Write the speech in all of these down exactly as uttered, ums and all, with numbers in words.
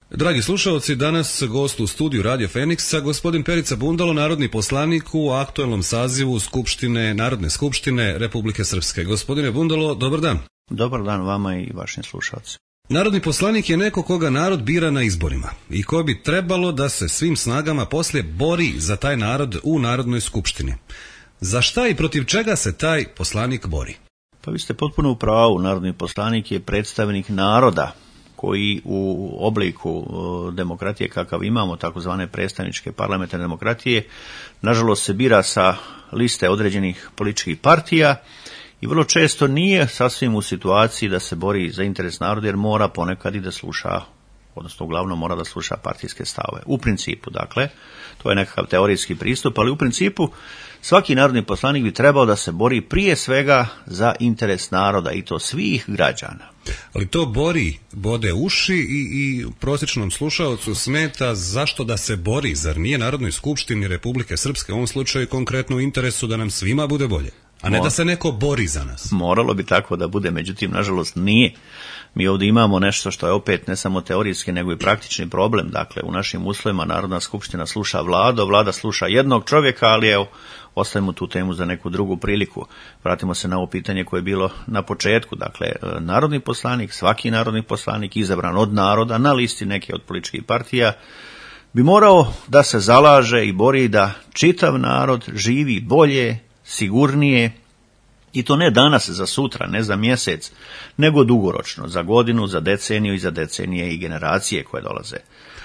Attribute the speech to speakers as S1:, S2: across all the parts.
S1: Dragi slušalci, danas gost u studiju Radio Feniksa, gospodin Perica Bundalo, narodni poslanik u aktuelnom sazivu Skupštine, Narodne skupštine Republike Srpske. Gospodine Bundalo, dobar dan.
S2: Dobar dan vama i vašim slušalcima.
S1: Narodni poslanik je neko koga narod bira na izborima i ko bi trebalo da se svim snagama poslije bori za taj narod u Narodnoj skupštini. Za šta i protiv čega se taj poslanik bori?
S2: Pa vi ste potpuno u pravu, narodni poslanik je predstavnik naroda koji u obliku demokratije kakav imamo, takozvane predstavničke parlamentarne demokratije, nažalost se bira sa liste određenih političkih partija i vrlo često nije sasvim u situaciji da se bori za interes naroda, jer mora ponekad i da sluša, odnosno uglavnom mora da sluša partijske stavove. U principu, dakle, to je nekakav teorijski pristup, ali u principu svaki narodni poslanik bi trebao da se bori prije svega za interes naroda i to svih građana.
S1: Ali to bori, bode uši i, i prosječnom slušalcu smeta zašto da se bori, zar nije Narodnoj skupštini Republike Srpske u ovom slučaju konkretno u interesu da nam svima bude bolje, a ne da se neko bori za nas?
S2: Moralo bi tako da bude, međutim, nažalost nije. Mi ovdje imamo nešto što je opet ne samo teorijski, nego i praktični problem. Dakle, u našim uslovima Narodna skupština sluša vladu, vlada sluša jednog čovjeka, ali evo, ostavimo tu temu za neku drugu priliku. Vratimo se na ovo pitanje koje je bilo na početku. Dakle, narodni poslanik, svaki narodni poslanik izabran od naroda na listi neke od političkih partija bi morao da se zalaže i bori da čitav narod živi bolje, sigurnije, i to ne danas za sutra, ne za mjesec, nego dugoročno, za godinu, za deceniju i za decenije i generacije koje dolaze.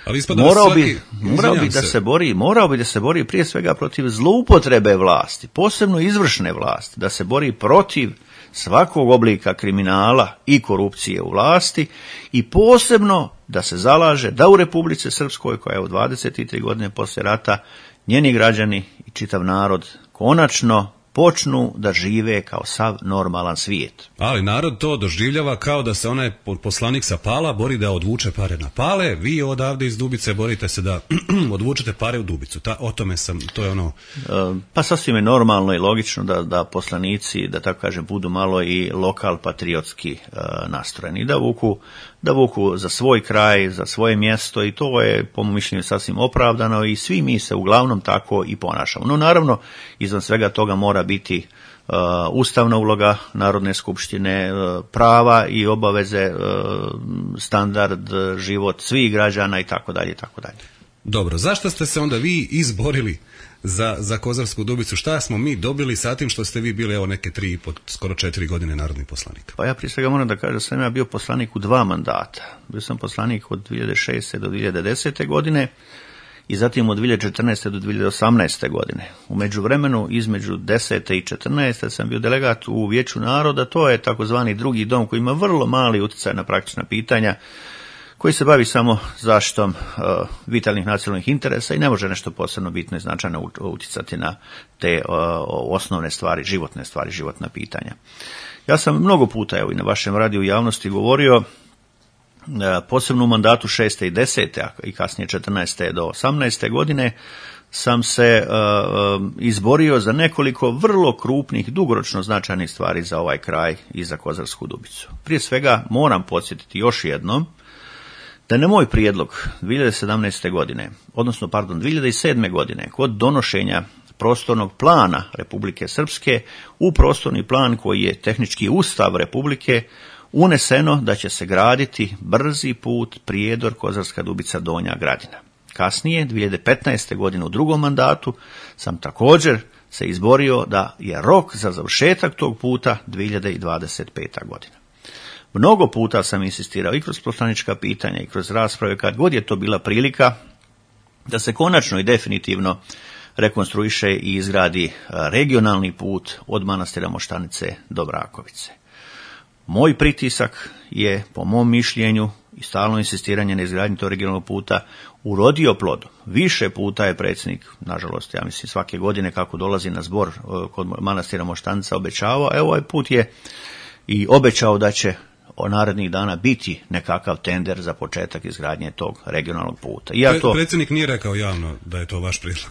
S1: Ali
S2: morao
S1: svaki...
S2: bi, morao bi da se bori, morao bi da se bori prije svega protiv zloupotrebe vlasti, posebno izvršne vlasti, da se bori protiv svakog oblika kriminala i korupcije u vlasti i posebno da se zalaže da u Republici Srpskoj, koja je u dvadeset tri godine poslije rata, njeni građani i čitav narod konačno počnu da žive kao sav normalan svijet.
S1: Ali narod to doživljava kao da se onaj poslanik sa Pala bori da odvuče pare na Pale, vi odavde iz Dubice borite se da odvučete pare u Dubicu. Ta, o tome sam, to je ono...
S2: Pa sasvim je normalno i logično da, da poslanici, da tako kažem, budu malo i lokal patriotski uh, nastrojeni, da vuku, da vuku za svoj kraj, za svoje mjesto i to je, po mom mišljenju, sasvim opravdano i svi mi se uglavnom tako i ponašamo. No naravno, izvan svega toga mora biti uh, ustavna uloga Narodne skupštine, uh, prava i obaveze, uh, standard, život svih građana i tako dalje i tako dalje.
S1: Dobro, zašto ste se onda vi izborili za, za Kozarsku Dubicu? Šta smo mi dobili sa tim što ste vi bili evo neke tri i po, skoro četiri godine narodni poslanik?
S2: Pa ja prije svega moram da kažem da sam ja bio poslanik u dva mandata. Bio sam poslanik od dvije hiljade šeste do dvije hiljade desete godine i zatim od dvije hiljade četrnaeste do dvije hiljade osamnaeste godine. U međuvremenu, između desete i četrnaeste sam bio delegat u Vijeću naroda, to je takozvani drugi dom koji ima vrlo mali utjecaj na praktična pitanja, koji se bavi samo zaštitom uh, vitalnih nacionalnih interesa i ne može nešto posebno bitno i značajno utjecati na te uh, osnovne stvari, životne stvari, životna pitanja. Ja sam mnogo puta evo, i na vašem radiju u javnosti govorio, uh, posebno u mandatu šeste i desete, a i kasnije četrnaeste do osamnaeste godine, sam se uh, izborio za nekoliko vrlo krupnih, dugoročno značajnih stvari za ovaj kraj i za Kozarsku Dubicu. Prije svega moram podsjetiti još jednom da na moj prijedlog dvije hiljade sedamnaeste godine, odnosno pardon, dvije hiljade sedme godine, kod donošenja prostornog plana Republike Srpske, u prostorni plan koji je tehnički ustav Republike, uneseno da će se graditi brzi put Prijedor, Kozarska Dubica, Donja Gradina. Kasnije, dvije hiljade petnaeste godine u drugom mandatu, sam također se izborio da je rok za završetak tog puta dvije hiljade dvadeset peta godina. Mnogo puta sam insistirao i kroz poslanička pitanja i kroz rasprave, kad god je to bila prilika, da se konačno i definitivno rekonstruiše i izgradi regionalni put od manastira Moštanice do Brakovice. Moj pritisak je, po mom mišljenju i stalno insistiranje na izgradnji tog regionalnog puta, urodio plodom. Više puta je predsjednik, nažalost, ja mislim svake godine kako dolazi na zbor kod manastira Moštanica, obećavao, a ovaj put je i obećao da će o narednih dana biti nekakav tender za početak izgradnje tog regionalnog puta. I ja
S1: Pre,
S2: to,
S1: predsjednik nije rekao javno da je to vaš prijedlog.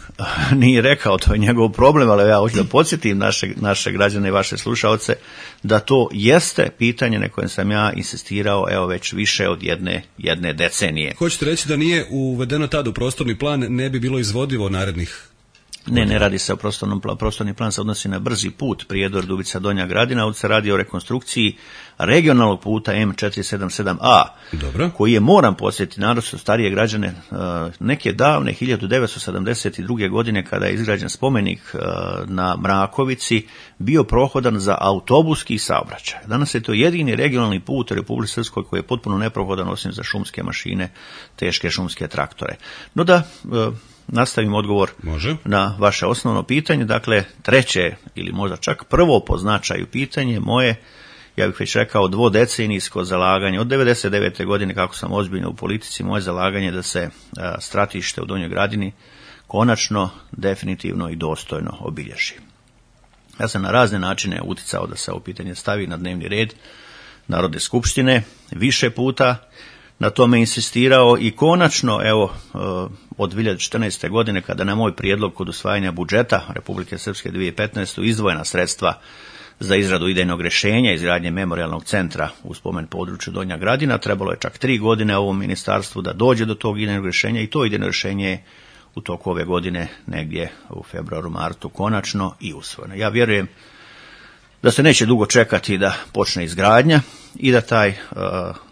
S2: Nije rekao, to je njegov problem, ali ja hoću da podsjetim naše, naše građane i vaše slušaoce da to jeste pitanje na kojem sam ja insistirao evo već više od jedne, jedne decenije.
S1: Hoćete reći da nije uvedeno tad u prostorni plan, ne bi bilo izvodivo narednih?
S2: Ne, ne radi se o prostornom planu. Prostorni plan se odnosi na brzi put Prijedor, Dubica, Donja Gradina, ovdje se radi o rekonstrukciji regionalnog puta M četiri sedam sedam A,
S1: Dobro.
S2: koji je, moram podsjetiti, naročito starije građane, neke davne hiljadu devetsto sedamdeset druge. godine kada je izgrađen spomenik na Mrakovici, bio prohodan za autobuski saobraćaj. Danas je to jedini regionalni put u Republici Srpskoj koji je potpuno neprohodan osim za šumske mašine, teške šumske traktore. No da nastavim odgovor
S1: Može.
S2: na vaše osnovno pitanje. Dakle, treće ili možda čak prvo po značaju pitanje moje, ja bih već rekao dvodecenijsko zalaganje od devedeset devete. godine kako sam ozbiljno u politici, moje zalaganje da se a, stratište u Donjoj Gradini konačno, definitivno i dostojno obilježi. Ja sam na razne načine uticao da se ovo pitanje stavi na dnevni red Narodne skupštine, više puta na tome insistirao i konačno, evo, od dvije hiljade četrnaeste. godine, kada na moj prijedlog kod usvajanja budžeta Republike Srpske dvije hiljade petnaeste. izdvojena sredstva za izradu idejnog rješenja izgradnje memorijalnog centra u spomen području Donja Gradina, trebalo je čak tri godine ovom ministarstvu da dođe do tog idejnog rješenja i to idejno rješenje je u toku ove godine, negdje u februaru, martu, konačno i usvojeno. Ja vjerujem da se neće dugo čekati da počne izgradnja i da taj uh,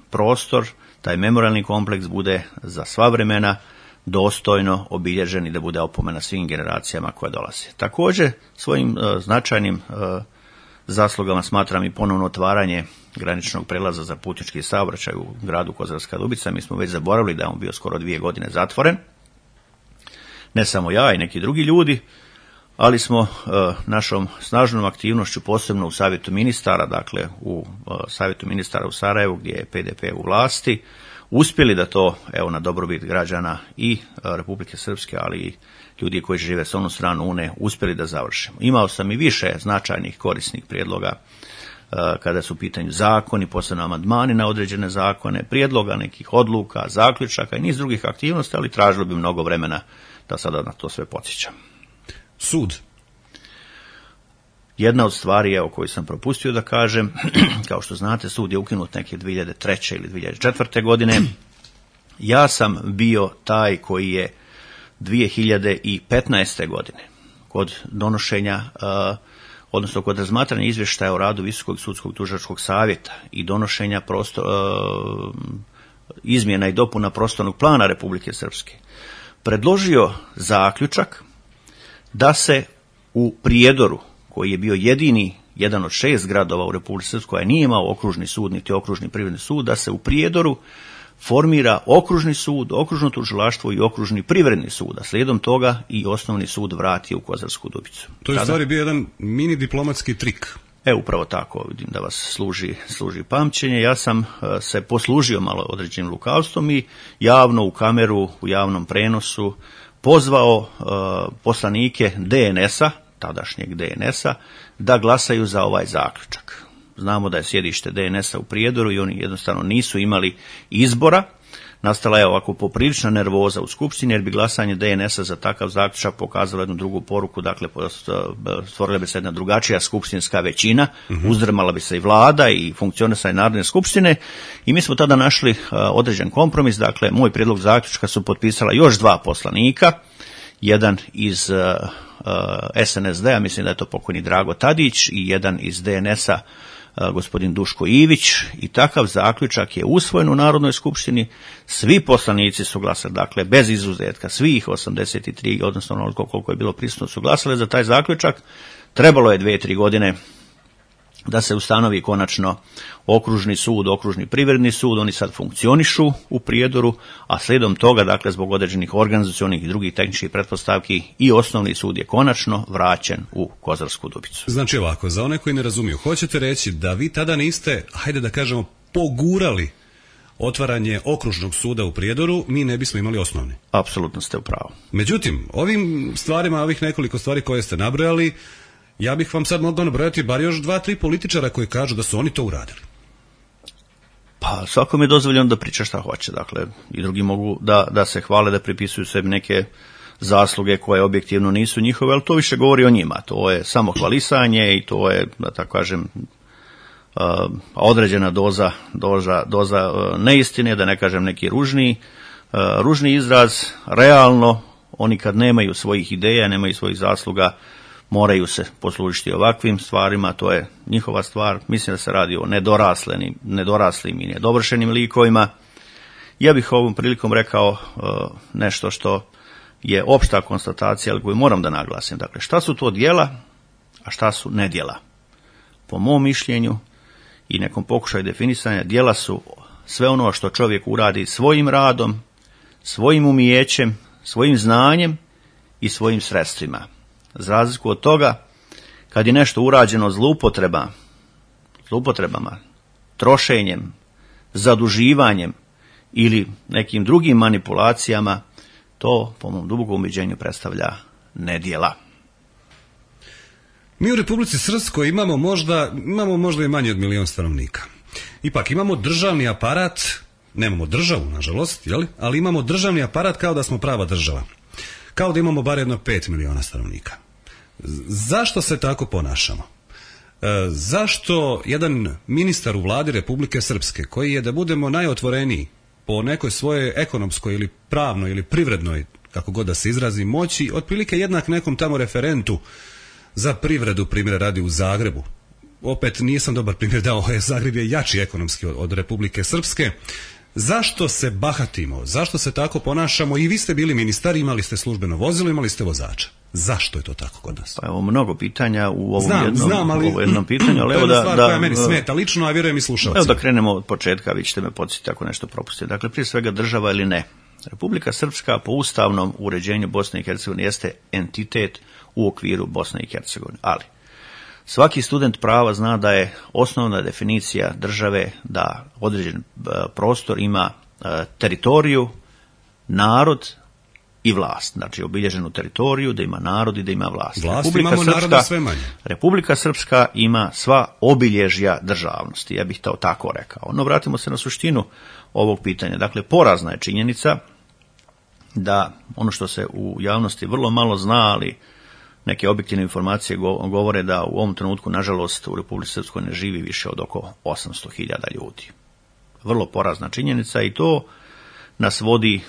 S2: prostor, taj memorijalni kompleks bude za sva vremena dostojno obilježen i da bude opomena svim generacijama koje dolaze. Također, svojim uh, značajnim uh, zaslugama smatram i ponovno otvaranje graničnog prelaza za putnički saobraćaj u gradu Kozarska Dubica. Mi smo već zaboravili da je on bio skoro dvije godine zatvoren. Ne samo ja i neki drugi ljudi, ali smo uh, našom snažnom aktivnošću, posebno u Savjetu ministara, dakle u uh, Savjetu ministara u Sarajevu gdje je P D P u vlasti, uspjeli da to, evo, na dobrobit građana i uh, Republike Srpske, ali i ljudi koji žive s onu stranu Une, uspjeli da završimo. Imao sam i više značajnih korisnih prijedloga uh, kada su u pitanju zakoni, posebno amandmani na određene zakone, prijedloga nekih odluka, zaključaka i niz drugih aktivnosti, ali tražilo bi mnogo vremena da sada na to sve podsjećam.
S1: Sud.
S2: Jedna od stvari, evo, koju sam propustio da kažem, kao što znate, sud je ukinut neke dvije hiljade treće. ili dvije hiljade četvrte. godine. Ja sam bio taj koji je dvije hiljade petnaeste. godine kod donošenja, uh, odnosno kod razmatranja izvještaja o radu Visokog sudskog tužilačkog savjeta i donošenja prostor, uh, izmjena i dopuna prostornog plana Republike Srpske, predložio zaključak da se u Prijedoru, koji je bio jedini, jedan od šest gradova u Republici Srpskoj koji nije imao okružni sud niti okružni privredni sud, da se u Prijedoru formira okružni sud, okružno tužilaštvo i okružni privredni sud, a slijedom toga i osnovni sud vrati u Kozarsku Dubicu.
S1: To je u stvari bio jedan mini diplomatski trik.
S2: E, upravo tako, vidim da vas služi, služi pamćenje. Ja sam uh, se poslužio malo određenim lukavstvom i javno u kameru, u javnom prenosu pozvao uh, poslanike D N S-a, tadašnjeg D N S-a, da glasaju za ovaj zaključak. Znamo da je sjedište D N S-a u Prijedoru i oni jednostavno nisu imali izbora. Nastala je ovako poprilična nervoza u Skupštini jer bi glasanje D N S-a za takav zaključak pokazalo jednu drugu poruku, dakle stvorila bi se jedna drugačija skupštinska većina, uh-huh. uzdrmala bi se i vlada i funkcionisanje Narodne skupštine i mi smo tada našli uh, određen kompromis, dakle moj prijedlog zaključka su potpisala još dva poslanika, jedan iz uh, uh, S N S D-a, mislim da je to pokojni Drago Tadić, i jedan iz D N S-a, gospodin Duško Ivić, i takav zaključak je usvojen u Narodnoj skupštini. Svi poslanici su glasali, dakle bez izuzetka, svih osamdeset tri, odnosno onoliko koliko je bilo prisutno, su glasali za taj zaključak. Trebalo je dvije, tri godine da se ustanovi konačno okružni sud, okružni privredni sud. Oni sad funkcionišu u Prijedoru, a slijedom toga, dakle zbog određenih organizacionih i drugih tehničkih pretpostavki, i osnovni sud je konačno vraćen u Kozarsku Dubicu.
S1: Znači ovako, za one koji ne razumiju, hoćete reći da vi tada niste, hajde da kažemo, pogurali otvaranje okružnog suda u Prijedoru, mi ne bismo imali osnovni.
S2: Apsolutno ste u pravu.
S1: Međutim, ovim stvarima, ovih nekoliko stvari koje ste nabrojali, ja bih vam sad mogao nabrojati bar još dva, tri političara koji kažu da su oni to uradili.
S2: Pa svakom je dozvoljeno da priča šta hoće, dakle i drugi mogu da, da se hvale, da pripisuju sebi neke zasluge koje objektivno nisu njihove, ali to više govori o njima, to je samo hvalisanje i to je, da tako kažem, određena doza, doza, doza neistine, da ne kažem neki ružni, ružni izraz. Realno, oni kad nemaju svojih ideja, nemaju svojih zasluga, moraju se poslužiti ovakvim stvarima, to je njihova stvar. Mislim da se radi o nedoraslenim, nedoraslim i nedovršenim likovima. Ja bih ovom prilikom rekao uh, nešto što je opšta konstatacija, ali koju moram da naglasim. Dakle, šta su to djela, a šta su nedjela? Po mom mišljenju i nekom pokušaju definisanja, djela su sve ono što čovjek uradi svojim radom, svojim umijećem, svojim znanjem i svojim sredstvima. Za razliku od toga, kad je nešto urađeno zloupotrebama, zloupotrebama, trošenjem, zaduživanjem ili nekim drugim manipulacijama, to, po mom dubokom ubeđenju, predstavlja nedjela.
S1: Mi u Republici Srpskoj imamo možda, imamo možda i manje od milion stanovnika. Ipak imamo državni aparat, nemamo državu, nažalost, jeli? Ali imamo državni aparat kao da smo prava država. Kao da imamo bar jedno pet miliona stanovnika. Zašto se tako ponašamo? E, zašto jedan ministar u vladi Republike Srpske, koji je, da budemo najotvoreniji, po nekoj svojoj ekonomskoj ili pravnoj ili privrednoj, kako god da se izrazi, moći, otprilike jednak nekom tamo referentu za privredu, primjer radi u Zagrebu. Opet nisam dobar primjer dao, Zagreb je jači ekonomski od, od Republike Srpske. Zašto se bahatimo? Zašto se tako ponašamo? I vi ste bili ministar, imali ste službeno vozilo, imali ste vozača. Zašto je to tako kod nas?
S2: Pa evo mnogo pitanja u ovom
S1: znam,
S2: jednom,
S1: znam, ali,
S2: u ovom jednom pitanju. Ali
S1: to je
S2: evo
S1: jedna
S2: da,
S1: stvar
S2: da,
S1: koja meni smeta lično, a vjerujem i slušalcima.
S2: Evo da krenemo od početka, vi ćete me podsjetiti ako nešto propustite. Dakle, prije svega država ili ne. Republika Srpska po ustavnom uređenju Bosne i Hercegovine jeste entitet u okviru Bosne i Hercegovine. Ali svaki student prava zna da je osnovna definicija države da određen prostor ima teritoriju, narod i vlast. Znači obilježenu teritoriju, da ima narod i da ima vlast.
S1: Vlast
S2: Republika
S1: imamo,
S2: Srpska,
S1: naroda sve manje.
S2: Republika Srpska ima sva obilježja državnosti, ja bih to tako rekao. No vratimo se na suštinu ovog pitanja. Dakle, porazna je činjenica da ono što se u javnosti vrlo malo zna, ali neke objektivne informacije govore da u ovom trenutku, nažalost, u Republici Srpskoj ne živi više od oko osamsto hiljada ljudi. Vrlo porazna činjenica i to nas vodi,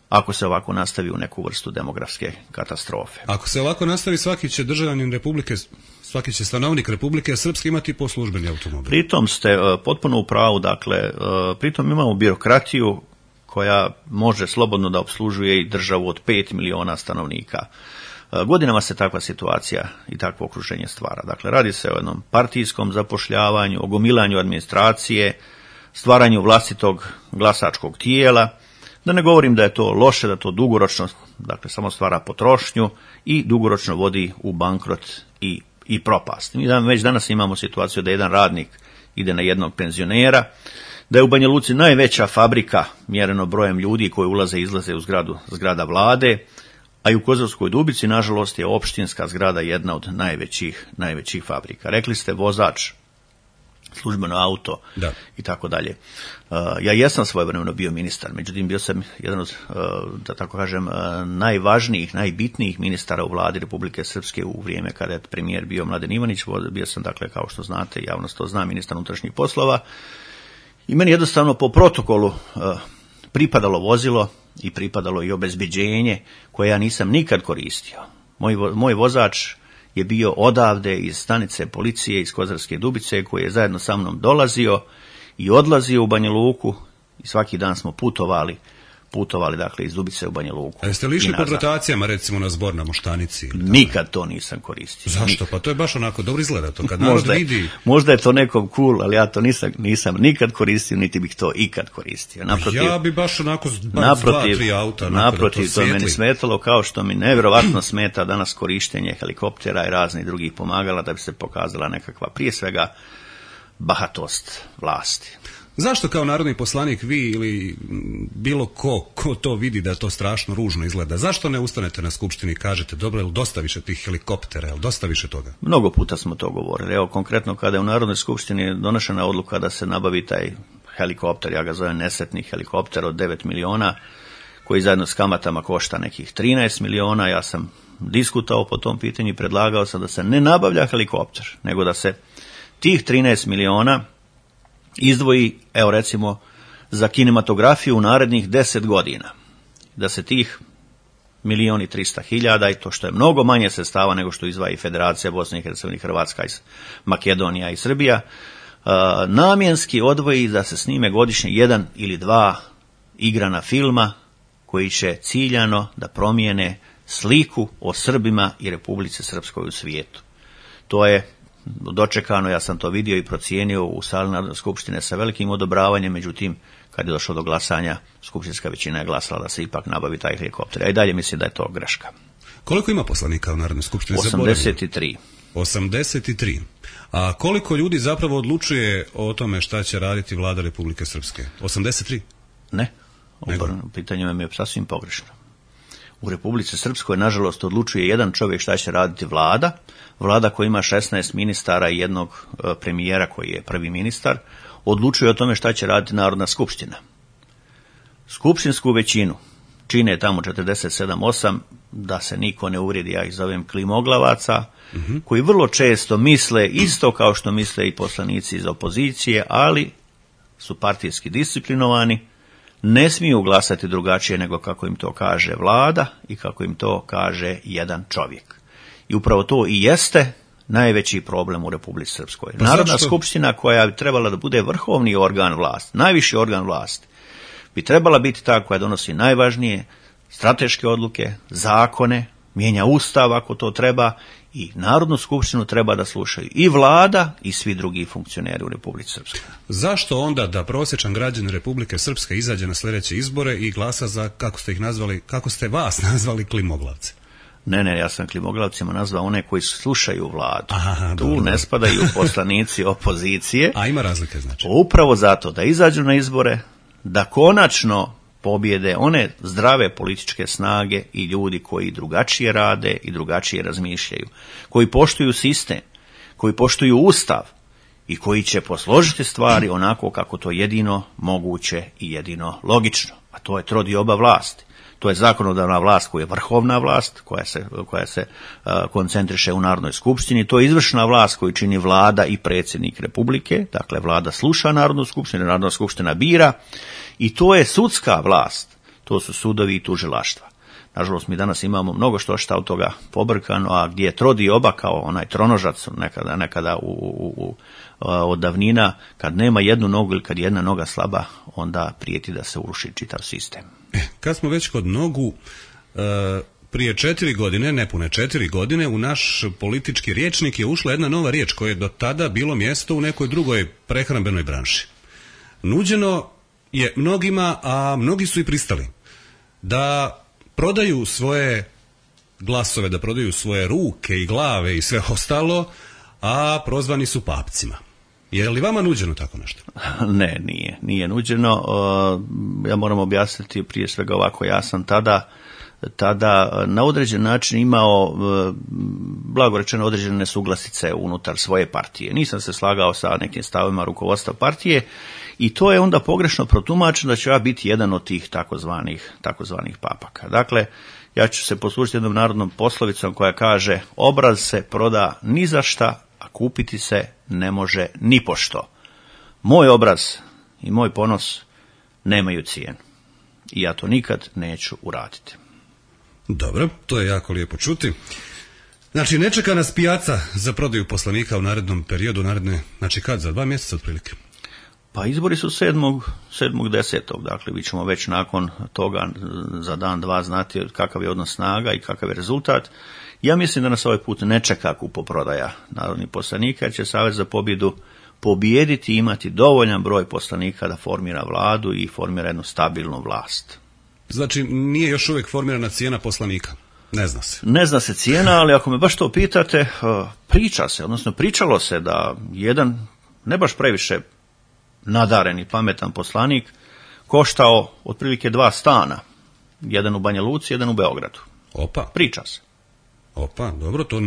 S2: ako se ovako nastavi, u neku vrstu demografske katastrofe.
S1: Ako se ovako nastavi, svaki će državljanin Republike, svaki će stanovnik Republike Srpske imati po službeni automobil.
S2: Pritom ste uh, potpuno u pravu, dakle, uh, pritom imamo birokratiju koja može slobodno da opslužuje i državu od pet miliona stanovnika. Godinama se takva situacija i takvo okruženje stvara. Dakle, radi se o jednom partijskom zapošljavanju, o gomilanju administracije, stvaranju vlastitog glasačkog tijela. Da ne govorim da je to loše, da to dugoročno, dakle, samo stvara potrošnju i dugoročno vodi u bankrot i, i propast. Mi već danas imamo situaciju da jedan radnik ide na jednog penzionera, da je u Banja Luci najveća fabrika mjereno brojem ljudi koji ulaze i izlaze u zgradu, zgrada vlade, a i u Kozarskoj Dubici, nažalost, je opštinska zgrada jedna od najvećih, najvećih fabrika. Rekli ste vozač, službeno auto
S1: da.
S2: I tako dalje. Ja jesam svojevremeno bio ministar, međutim bio sam jedan od, da tako kažem, najvažnijih, najbitnijih ministara u vladi Republike Srpske u vrijeme kada je premijer bio Mladen Ivanić. Bio sam, dakle, kao što znate, javnost to zna, ministar unutrašnjih poslova. I meni jednostavno po protokolu uh, pripadalo vozilo i pripadalo i obezbeđenje koje ja nisam nikad koristio. Moj, moj vozač je bio odavde iz stanice policije iz Kozarske Dubice koji je zajedno sa mnom dolazio i odlazio u Banja Luku i svaki dan smo putovali, putovali dakle iz Dubice u Banja Luku.
S1: A jeste li išli pod rotacijama, recimo na zbor na Moštanici?
S2: Nikad to nisam koristio.
S1: Zašto?
S2: Nikad.
S1: Pa to je baš onako dobro izgleda to, kad narod
S2: možda,
S1: vidi...
S2: Možda je to nekom cool, ali ja to nisam, nisam nikad koristio, niti bih to ikad koristio. Naprotiv,
S1: ja bi baš onako
S2: naprotiv,
S1: dva, tri auta.
S2: Naprotiv,
S1: to,
S2: to meni smetalo, kao što mi nevjerovatno smeta danas korištenje helikoptera i raznih drugih pomagala da bi se pokazala nekakva, prije svega, bahatost vlasti.
S1: Zašto kao narodni poslanik vi ili bilo ko, ko to vidi da to strašno ružno izgleda, zašto ne ustanete na skupštini i kažete dobro, je li dosta više tih helikoptera, je li dosta više toga?
S2: Mnogo puta smo to govorili. Evo konkretno kada je u Narodnoj skupštini donošena odluka da se nabavi taj helikopter, ja ga zovem nesretni helikopter od devet miliona, koji zajedno s kamatama košta nekih trinaest miliona, ja sam diskutao po tom pitanju i predlagao sam da se ne nabavlja helikopter, nego da se tih trinaest miliona izdvoji, evo recimo, za kinematografiju u narednih deset godina. Da se tih milion i trista hiljada, i to što je mnogo manje sredstava nego što izdvaja i Federacija Bosne i Hercegovine, Hrvatska, Makedonija i Srbija, namjenski odvoji da se snime godišnje jedan ili dva igrana filma koji će ciljano da promijene sliku o Srbima i Republici Srpskoj u svijetu. To je dočekano, ja sam to vidio i procijenio u sali Narodne skupštine sa velikim odobravanjem, međutim, kad je došlo do glasanja, skupštinska većina je glasala da se ipak nabavi taj helikopter. A i dalje mislim da je to greška.
S1: Koliko ima poslanika u Narodnoj skupštini?
S2: osamdeset tri.
S1: osamdeset tri. A koliko ljudi zapravo odlučuje o tome šta će raditi vlada Republike Srpske? osamdeset tri?
S2: Ne, pitanje mi je sasvim pogrešno. U Republici Srpskoj, nažalost, odlučuje jedan čovjek šta će raditi vlada, vlada koja ima šesnaest ministara i jednog premijera koji je prvi ministar, odlučuje o tome šta će raditi Narodna skupština. Skupštinsku većinu čine tamo četrdeset sedam osam, da se niko ne uvrijedi, ja ih zovem klimoglavaca, uh-huh. koji vrlo često misle isto kao što misle i poslanici iz opozicije, ali su partijski disciplinovani, ne smiju glasati drugačije nego kako im to kaže vlada i kako im to kaže jedan čovjek. I upravo to i jeste najveći problem u Republici Srpskoj. Pa Narodna zašto? skupština koja bi trebala da bude vrhovni organ vlasti, najviši organ vlasti, bi trebala biti ta koja donosi najvažnije strateške odluke, zakone, mijenja ustav ako to treba, i Narodnu skupštinu treba da slušaju i vlada i svi drugi funkcioneri u Republici Srpskoj.
S1: Zašto onda da prosječan građanin Republike Srpske izađe na sljedeće izbore i glasa za, kako ste ih nazvali, kako ste vas nazvali, klimoglavce?
S2: Ne, ne, ja sam klimoglavcima nazvao one koji slušaju vladu.
S1: Aha,
S2: tu
S1: dobro.
S2: Ne spadaju poslanici opozicije.
S1: A ima razlike znači?
S2: Upravo zato da izađu na izbore, da konačno pobjede one zdrave političke snage i ljudi koji drugačije rade i drugačije razmišljaju, koji poštuju sistem, koji poštuju ustav i koji će posložiti stvari onako kako to jedino moguće i jedino logično, a to je trodioba vlasti. To je zakonodavna vlast koja je vrhovna vlast, koja se, koja se uh, koncentriše u Narodnoj skupštini, to je izvršna vlast koju čini vlada i predsjednik Republike, dakle vlada sluša Narodnu skupštinu, Narodna skupština bira, i to je sudska vlast, to su sudovi i tužilaštva. Nažalost, mi danas imamo mnogo što šta od toga pobrkano, a gdje je trodioba kao onaj tronožac nekada, nekada u, u, u, od davnina, kad nema jednu nogu ili kad je jedna noga slaba, onda prijeti da se uruši čitav sistem.
S1: Kad smo već kod nogu, prije četiri godine, nepune četiri godine, u naš politički rječnik je ušla jedna nova riječ koja je do tada bilo mjesto u nekoj drugoj prehrambenoj branši. Nuđeno je mnogima, a mnogi su i pristali, da prodaju svoje glasove, da prodaju svoje ruke i glave i sve ostalo, a prozvani su papcima. Je li vama nuđeno tako nešto?
S2: Ne, nije. Nije nuđeno. Ja moram objasniti prije svega ovako. Ja sam tada, tada na određen način imao, blago rečeno, određene nesuglasice unutar svoje partije. Nisam se slagao sa nekim stavima rukovodstva partije i to je onda pogrešno protumačeno da će ja biti jedan od tih takozvanih, takozvanih papaka. Dakle, ja ću se poslužiti jednom narodnom poslovicom koja kaže: obraz se proda ni za šta, a kupiti se ne može ni pošto. Moj obraz i moj ponos nemaju cijenu i ja to nikad neću uraditi.
S1: Dobro, to je jako lijepo čuti. Znači, ne čeka nas pijaca za prodaju poslanika u narednom periodu, naredne, znači kad, za dva mjeseca otprilike?
S2: Pa izbori su sedmog desetog Dakle, vi ćemo već nakon toga za dan, dva znati kakav je odnos snaga i kakav je rezultat. Ja mislim da nas ovaj put ne čeka kupoprodaja narodnih poslanika, jer će Savez za pobjedu pobijediti i imati dovoljan broj poslanika da formira vladu i formira jednu stabilnu vlast.
S1: Znači, nije još uvijek formirana cijena poslanika? Ne zna se.
S2: Ne zna se cijena, ali ako me baš to pitate, priča se, odnosno pričalo se da jedan, ne baš previše nadaren i pametan poslanik, koštao otprilike dva stana. Jedan u Banja Luci, jedan u Beogradu.
S1: Opa.
S2: Priča se.
S1: Opa, dobro, to...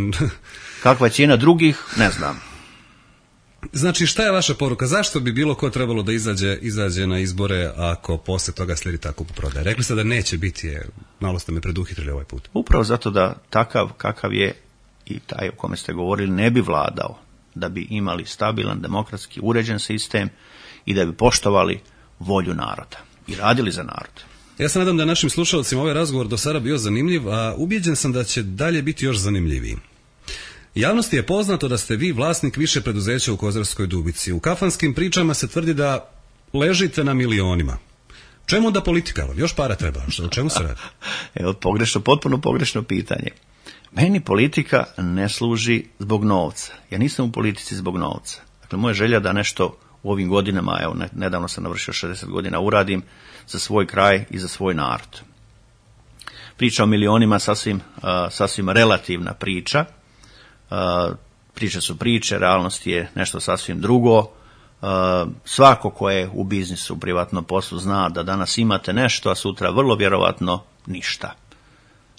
S2: Kakva je cijena drugih, ne znam.
S1: Znači, šta je vaša poruka? Zašto bi bilo ko trebalo da izađe, izađe na izbore ako posle toga slijedi tako prodaje? Rekli ste da neće biti, je, malo ste me preduhitrili ovaj put.
S2: Upravo zato da takav kakav je i taj o kome ste govorili ne bi vladao, da bi imali stabilan, demokratski, uređen sistem i da bi poštovali volju naroda i radili za narod.
S1: Ja se nadam da našim slušalcima ovaj razgovor do sada bio zanimljiv, a ubijeđen sam da će dalje biti još zanimljiviji. Javnosti je poznato da ste vi vlasnik više preduzeća u Kozarskoj Dubici. U kafanskim pričama se tvrdi da ležite na milionima. Čemu onda politika? Još para treba. O čemu se radi?
S2: Evo, pogrešno, potpuno pogrešno pitanje. Meni politika ne služi zbog novca. Ja nisam u politici zbog novca. Dakle, moja želja da nešto u ovim godinama, evo, nedavno sam navršio šezdeset godina, uradim za svoj kraj i za svoj narod. Priča o milionima sasvim, uh, sasvim relativna priča. Uh, priče su priče, realnost je nešto sasvim drugo. Uh, svako ko je u biznisu, u privatnom poslu zna da danas imate nešto, a sutra vrlo vjerovatno ništa.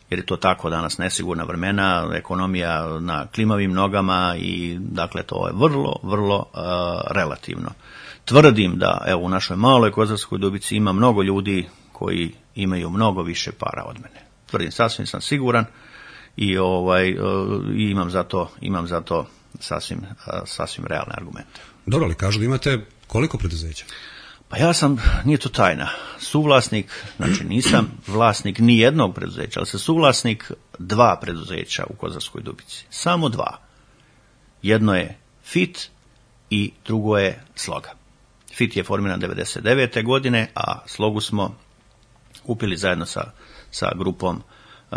S2: Jer je to tako danas nesigurna vremena, ekonomija na klimavim nogama i dakle to je vrlo, vrlo uh, relativno. Tvrdim da evo u našoj maloj Kozarskoj Dubici ima mnogo ljudi koji imaju mnogo više para od mene. Tvrdim, sasvim sam siguran i ovaj uh, i imam za to, imam za to sasvim, uh, sasvim realne argumente.
S1: Dobro, ali kažu da imate koliko preduzeća?
S2: Pa ja sam, nije to tajna, suvlasnik, znači nisam vlasnik ni jednog preduzeća, ali sam suvlasnik dva preduzeća u Kozarskoj Dubici. Samo dva. Jedno je Fit i drugo je Sloga. Fit je formiran devedeset devete godine, a Slogu smo kupili zajedno sa, sa grupom,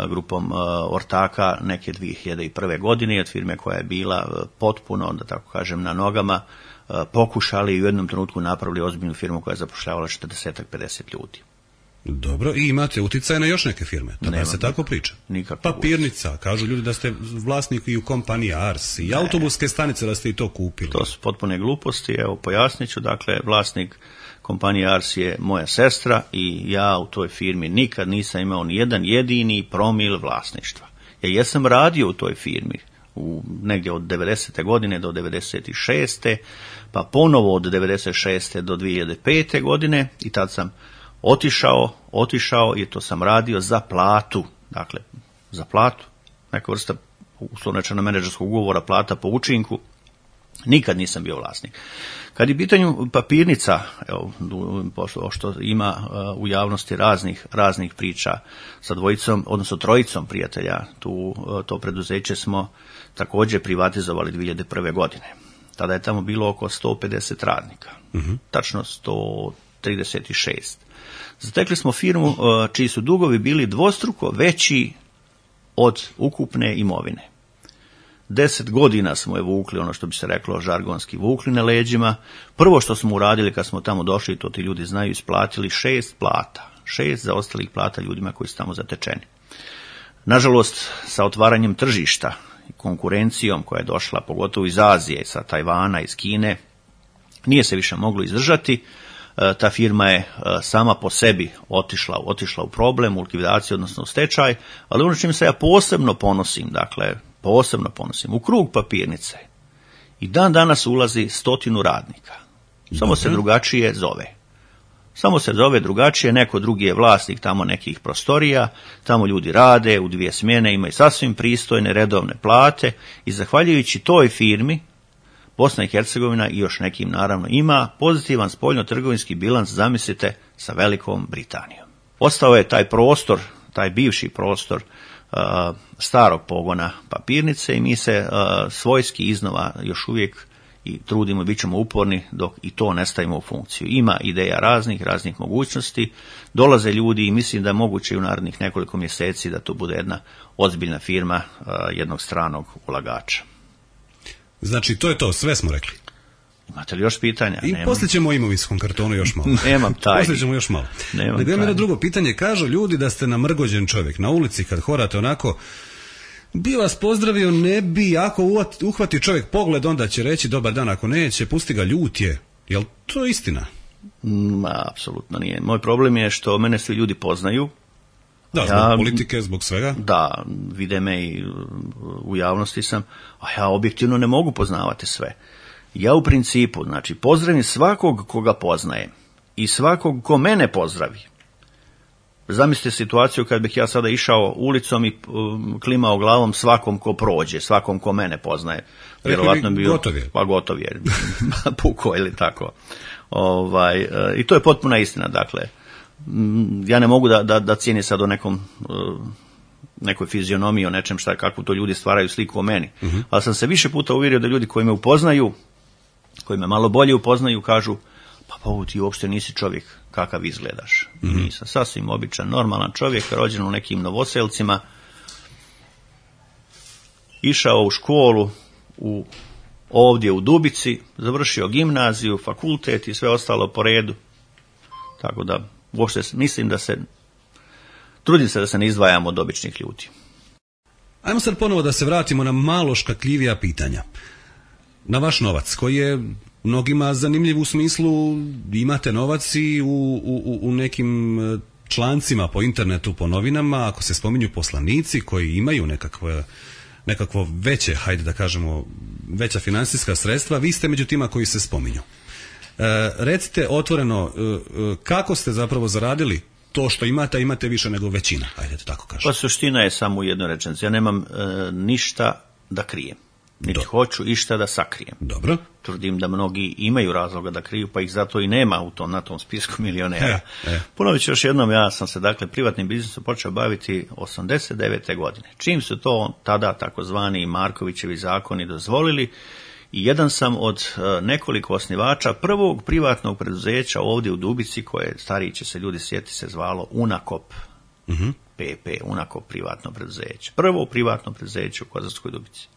S2: grupom uh, ortaka neke dvije hiljade prve. godine od firme koja je bila potpuno, da tako kažem, na nogama, pokušali i u jednom trenutku napravili ozbiljnu firmu koja je zapošljavala četrdeset do pedeset ljudi.
S1: Dobro, i imate utjecaj na još neke firme, da se tako priča.
S2: Nikakvo.
S1: Papirnica, kažu ljudi da ste vlasnik i u kompaniji Ars i ne. Autobuske stanice da ste i to kupili.
S2: To su potpune gluposti, evo pojasnit ću, dakle vlasnik kompanije Ars je moja sestra i ja u toj firmi nikad nisam imao ni jedan jedini promil vlasništva. Ja jesam radio u toj firmi, u negdje od devedesete godine do devedeset šeste. pa ponovo od devedeset šeste do dvije hiljade pete. godine i tad sam otišao, otišao i to sam radio za platu, dakle za platu, neka vrsta uslovno menadžerskog ugovora, plata po učinku, nikad nisam bio vlasnik. Kad je pitanju papirnica, evo, što ima u javnosti raznih, raznih priča sa dvojicom, odnosno trojicom prijatelja, tu, to preduzeće smo također privatizovali dvije hiljade prve. godine. Tada je tamo bilo oko sto pedeset radnika, uh-huh. tačno sto trideset šest. Zatekli smo firmu čiji su dugovi bili dvostruko veći od ukupne imovine. Deset godina smo je vukli, ono što bi se reklo žargonski, vukli na leđima. Prvo što smo uradili kad smo tamo došli, to ti ljudi znaju, isplatili šest plata. Šest zaostalih plata ljudima koji su tamo zatečeni. Nažalost, sa otvaranjem tržišta i konkurencijom koja je došla, pogotovo iz Azije, sa Tajvana, iz Kine, nije se više moglo izdržati. Ta firma je sama po sebi otišla, otišla u problem, u likvidaciju, odnosno u stečaj, ali ono čim se ja posebno ponosim, dakle, posebno ponosim, u krug papirnice i dan danas ulazi stotinu radnika. Samo se drugačije zove. Samo se zove drugačije, neko drugi je vlasnik tamo nekih prostorija, tamo ljudi rade u dvije smjene, imaju sasvim pristojne redovne plate i zahvaljujući toj firmi Bosna i Hercegovina i još nekim naravno ima pozitivan spoljno-trgovinski bilans, zamislite, sa Velikom Britanijom. Ostao je taj prostor, taj bivši prostor uh, starog pogona papirnice i mi se uh, svojski iznova još uvijek i trudimo, bit ćemo uporni dok i to ne stavimo u funkciju. Ima ideja raznih, raznih mogućnosti, dolaze ljudi i mislim da je moguće u narednih nekoliko mjeseci da to bude jedna ozbiljna firma uh, jednog stranog ulagača.
S1: Znači, to je to, sve smo rekli.
S2: Imate li još pitanja?
S1: I
S2: Nemam.
S1: Poslije ćemo o imovinskom kartonu još malo.
S2: Nemam tajni.
S1: Poslije ćemo još malo.
S2: Nemam
S1: Nego jedno drugo pitanje, kažu ljudi da ste namrgođen čovjek. Na ulici kad horate onako, bi vas pozdravio, ne bi, ako uhvati čovjek pogled, onda će reći dobar dan, ako neće, pusti ga, ljut je. Jel to istina?
S2: Ma, apsolutno nije. Moj problem je što mene svi ljudi poznaju.
S1: Da, zbog
S2: ja,
S1: politike, zbog svega?
S2: Da, vide me i u javnosti sam, a ja objektivno ne mogu poznavati sve. Ja u principu, znači, pozdravim svakog koga poznajem i svakog ko mene pozdravi. Zamislite situaciju kad bih ja sada išao ulicom i um, klimao glavom svakom ko prođe, svakom ko mene poznaje.
S1: Vjerovatno bio, gotov je.
S2: Pa gotov je, puko ili tako. Ovaj, i to je potpuna istina, dakle. Ja ne mogu da, da, da cijenim sad o nekom, nekoj fizionomiji, o nečem šta, kakvu to ljudi stvaraju sliku o meni. Uh-huh. Ali sam se više puta uvjerio da ljudi koji me upoznaju, koji me malo bolje upoznaju, kažu, pa pa ti uopšte nisi čovjek kakav izgledaš. Uh-huh. I nisam sasvim običan, normalan čovjek, rođen u nekim Novoselcima, išao u školu u, ovdje u Dubici, završio gimnaziju, fakultet i sve ostalo po redu. Tako da uopšte mislim da se, trudim se da se ne izdvajam od običnih ljudi.
S1: Ajmo sad ponovo da se vratimo na malo škakljivija pitanja. Na vaš novac, koji je mnogima zanimljiv u smislu imate novac i u, u, u nekim člancima po internetu, po novinama, ako se spominju poslanici koji imaju nekakve, nekakvo veće, hajde da kažemo, veća financijska sredstva, vi ste među tima koji se spominju. E, recite otvoreno, e, kako ste zapravo zaradili to što imate, a imate više nego većina, ajde da tako kažem.
S2: Pa suština je samo u jednoj rečenici. Ja nemam e, ništa da krijem. Niti hoću išta da sakrijem.
S1: Dobro.
S2: Tvrdim da mnogi imaju razloga da kriju, pa ih zato i nema u tom, na tom spisku milionera.
S1: E, e.
S2: Ponovit ću još jednom, ja sam se dakle privatnim biznisom počeo baviti osamdeset devete godine. Čim su to tada takozvani Markovićevi zakoni dozvolili, i jedan sam od nekoliko osnivača prvog privatnog preduzeća ovdje u Dubici, koje stariji će se ljudi sjetiti se zvalo Unakop, uh-huh. P P, Unakop privatno preduzeće. Prvo privatno preduzeće u Kozarskoj Dubici.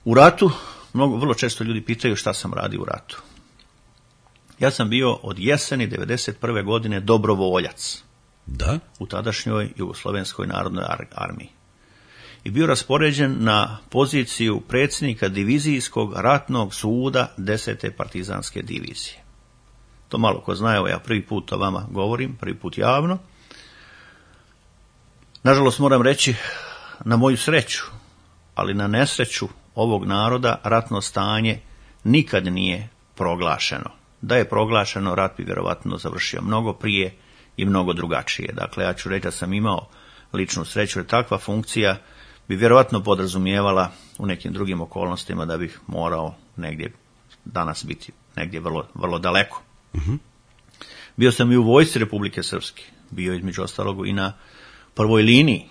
S2: U ratu, mnogo, vrlo često ljudi pitaju šta sam radio u ratu. Ja sam bio od jeseni devedeset prve godine dobrovoljac.
S1: Da?
S2: U tadašnjoj Jugoslovenskoj narodnoj armiji. I bio raspoređen na poziciju predsjednika divizijskog ratnog suda desete partizanske divizije. To malo ko zna, evo ja prvi put to vama govorim, prvi put javno. Nažalost moram reći, na moju sreću, ali na nesreću ovog naroda, ratno stanje nikad nije proglašeno. Da je proglašeno, rat bi vjerovatno završio mnogo prije i mnogo drugačije. Dakle, ja ću reći da sam imao ličnu sreću, jer takva funkcija bi vjerovatno podrazumijevala u nekim drugim okolnostima da bih morao negdje danas biti negdje vrlo, vrlo daleko. Uh-huh. Bio sam i u vojsci Republike Srpske, bio između ostalog i na prvoj liniji,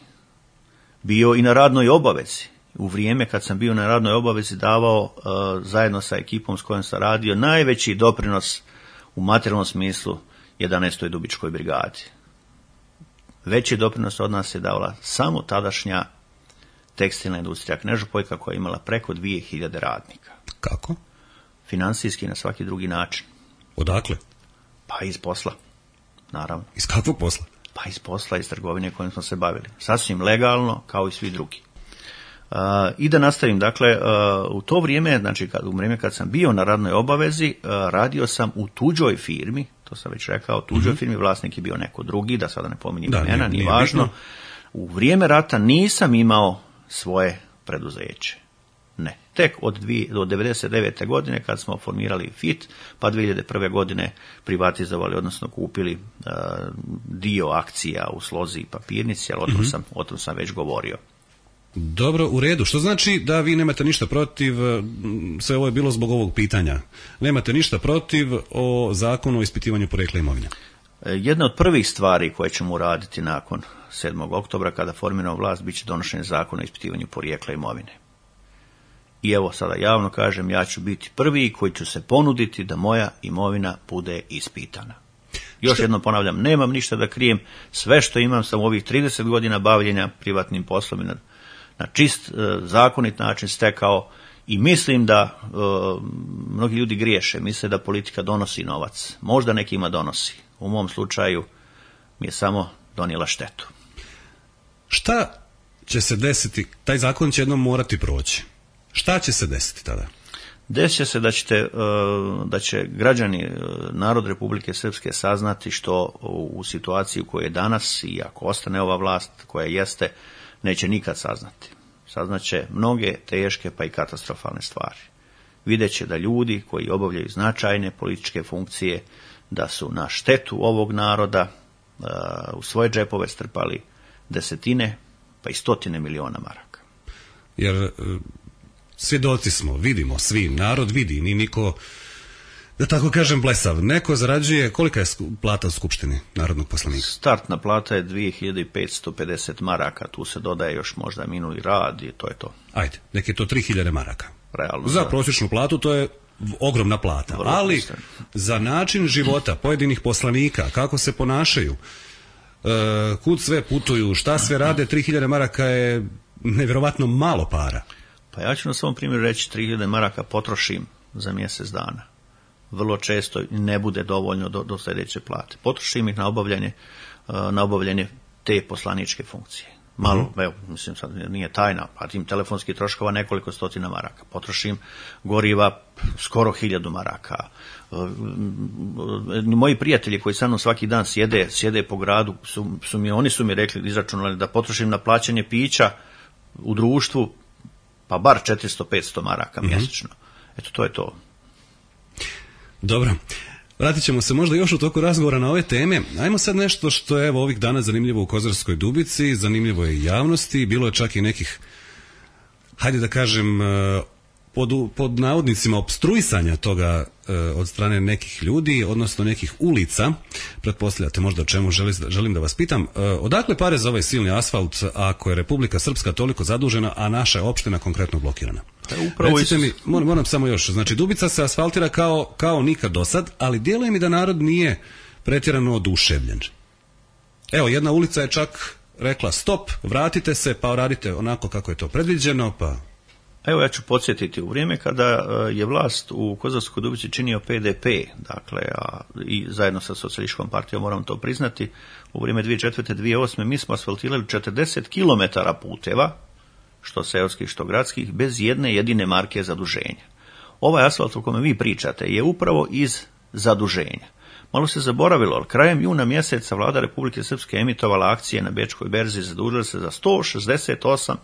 S2: bio i na radnoj obavezi. U vrijeme kad sam bio na radnoj obavezi davao uh, zajedno sa ekipom s kojom sam radio najveći doprinos u materijalnom smislu jedanaestoj Dubičkoj brigadi. Veći doprinos od nas je davala samo tadašnja tekstilna industrija Knežopojka, koja je imala preko dvije hiljade radnika.
S1: Kako?
S2: Financijski na svaki drugi način.
S1: Odakle?
S2: Pa iz posla, naravno.
S1: Iz kakvog posla?
S2: Pa iz posla, iz trgovine kojim smo se bavili. Sasvim legalno, kao i svi drugi. Uh, I da nastavim, dakle, uh, u to vrijeme, znači kad, u vrijeme kad sam bio na radnoj obavezi, uh, radio sam u tuđoj firmi, to sam već rekao, tuđoj mm-hmm. firmi, vlasnik je bio neko drugi, da sada ne pominjem imena, nije važno. Bitno. U vrijeme rata nisam imao svoje preduzeće. Ne. Tek od, dvije, od devedeset devete godine kad smo formirali F I T, pa dvije hiljade prve godine privatizovali, odnosno kupili uh, dio akcija u Slozi i Papirnici, ali o tom, mm-hmm. sam, o tom sam već govorio.
S1: Dobro, u redu. Što znači da vi nemate ništa protiv, sve ovo je bilo zbog ovog pitanja, nemate ništa protiv o zakonu o ispitivanju porijekla imovine?
S2: Jedna od prvih stvari koje ćemo uraditi nakon sedmog oktobra kada formiramo vlast bit će donošenje zakona o ispitivanju porijekla imovine. I evo sada javno kažem, ja ću biti prvi koji ću se ponuditi da moja imovina bude ispitana. Još što? Jednom ponavljam, nemam ništa da krijem, sve što imam sam u ovih trideset godina bavljenja privatnim poslom i na, na čist, e, zakonit način stekao i mislim da e, mnogi ljudi griješe, misle da politika donosi novac. Možda nekima donosi. U mom slučaju mi je samo donijela štetu.
S1: Šta će se desiti? Taj zakon će jednom morati proći. Šta će se desiti tada?
S2: Desit će se da, ćete, da će građani, narod Republike Srpske saznati što u situaciji u kojoj je danas i ako ostane ova vlast koja jeste, neće nikad saznati. Saznaće mnoge teške pa i katastrofalne stvari. Vidjet će da ljudi koji obavljaju značajne političke funkcije, da su na štetu ovog naroda u svoje džepove strpali desetine pa i stotine miliona maraka.
S1: Jer svjedoci smo, vidimo svi, narod vidi, ni niko, da tako kažem, blesav. Neko zarađuje, kolika je plata u Skupštini narodnog poslanika?
S2: Startna plata je dvije hiljade petsto pedeset maraka, tu se dodaje još možda minuli rad i to je to.
S1: Ajde, nek je to tri hiljade maraka.
S2: Realno,
S1: za prosječnu platu to je ogromna plata, vrlo ali postavljeno. Za način života pojedinih poslanika, kako se ponašaju, e, kud sve putuju, šta sve rade, tri hiljade maraka je nevjerovatno malo para.
S2: Pa ja ću na svom primjeru reći, tri hiljade maraka potrošim za mjesec dana. Vrlo često ne bude dovoljno do, do sljedeće plate. Potrošim ih na obavljanje, na obavljanje te poslaničke funkcije. Malo, mm-hmm. evo, mislim, sad nije tajna, pa tim telefonskih troškova nekoliko stotina maraka. Potrošim goriva skoro hiljadu maraka. Moji prijatelji koji sa mnom svaki dan sjede, sjede po gradu, su, su mi, oni su mi rekli, izračunali da potrošim na plaćanje pića u društvu pa bar četiristo do petsto maraka mm-hmm. mjesečno. Eto, to je to.
S1: Dobro. Vratit ćemo se možda još u toku razgovora na ove teme. Ajmo sad nešto što je evo ovih dana zanimljivo u Kozarskoj Dubici, zanimljivo je i javnosti, bilo je čak i nekih, hajde da kažem, pod, pod navodnicima opstruisanja toga od strane nekih ljudi, odnosno nekih ulica. Pretpostavljate možda o čemu želim, želim da vas pitam. Odakle pare za ovaj silni asfalt ako je Republika Srpska toliko zadužena, a naša je opština konkretno blokirana? Recite mi, moram, moram samo još, znači Dubica se asfaltira kao, kao nikad do sad, ali djeluje mi da narod nije pretjerano oduševljen. Evo, jedna ulica je čak rekla stop, vratite se, pa radite onako kako je to predviđeno, pa...
S2: Evo, ja ću podsjetiti, u vrijeme kada je vlast u Kozarskoj Dubici činio P D P, dakle, a, i zajedno sa socijalističkom partijom, moram to priznati, u vrijeme dvije hiljade četvrte do dvije hiljade osme mi smo asfaltirali četrdeset kilometara puteva, što seoskih, što gradskih, bez jedne jedine marke zaduženja. Ovaj asfalt o kome vi pričate je upravo iz zaduženja. Malo se zaboravilo, ali krajem juna mjeseca vlada Republike Srpske emitovala akcije na Bečkoj berzi, zadužila se za sto šezdeset osam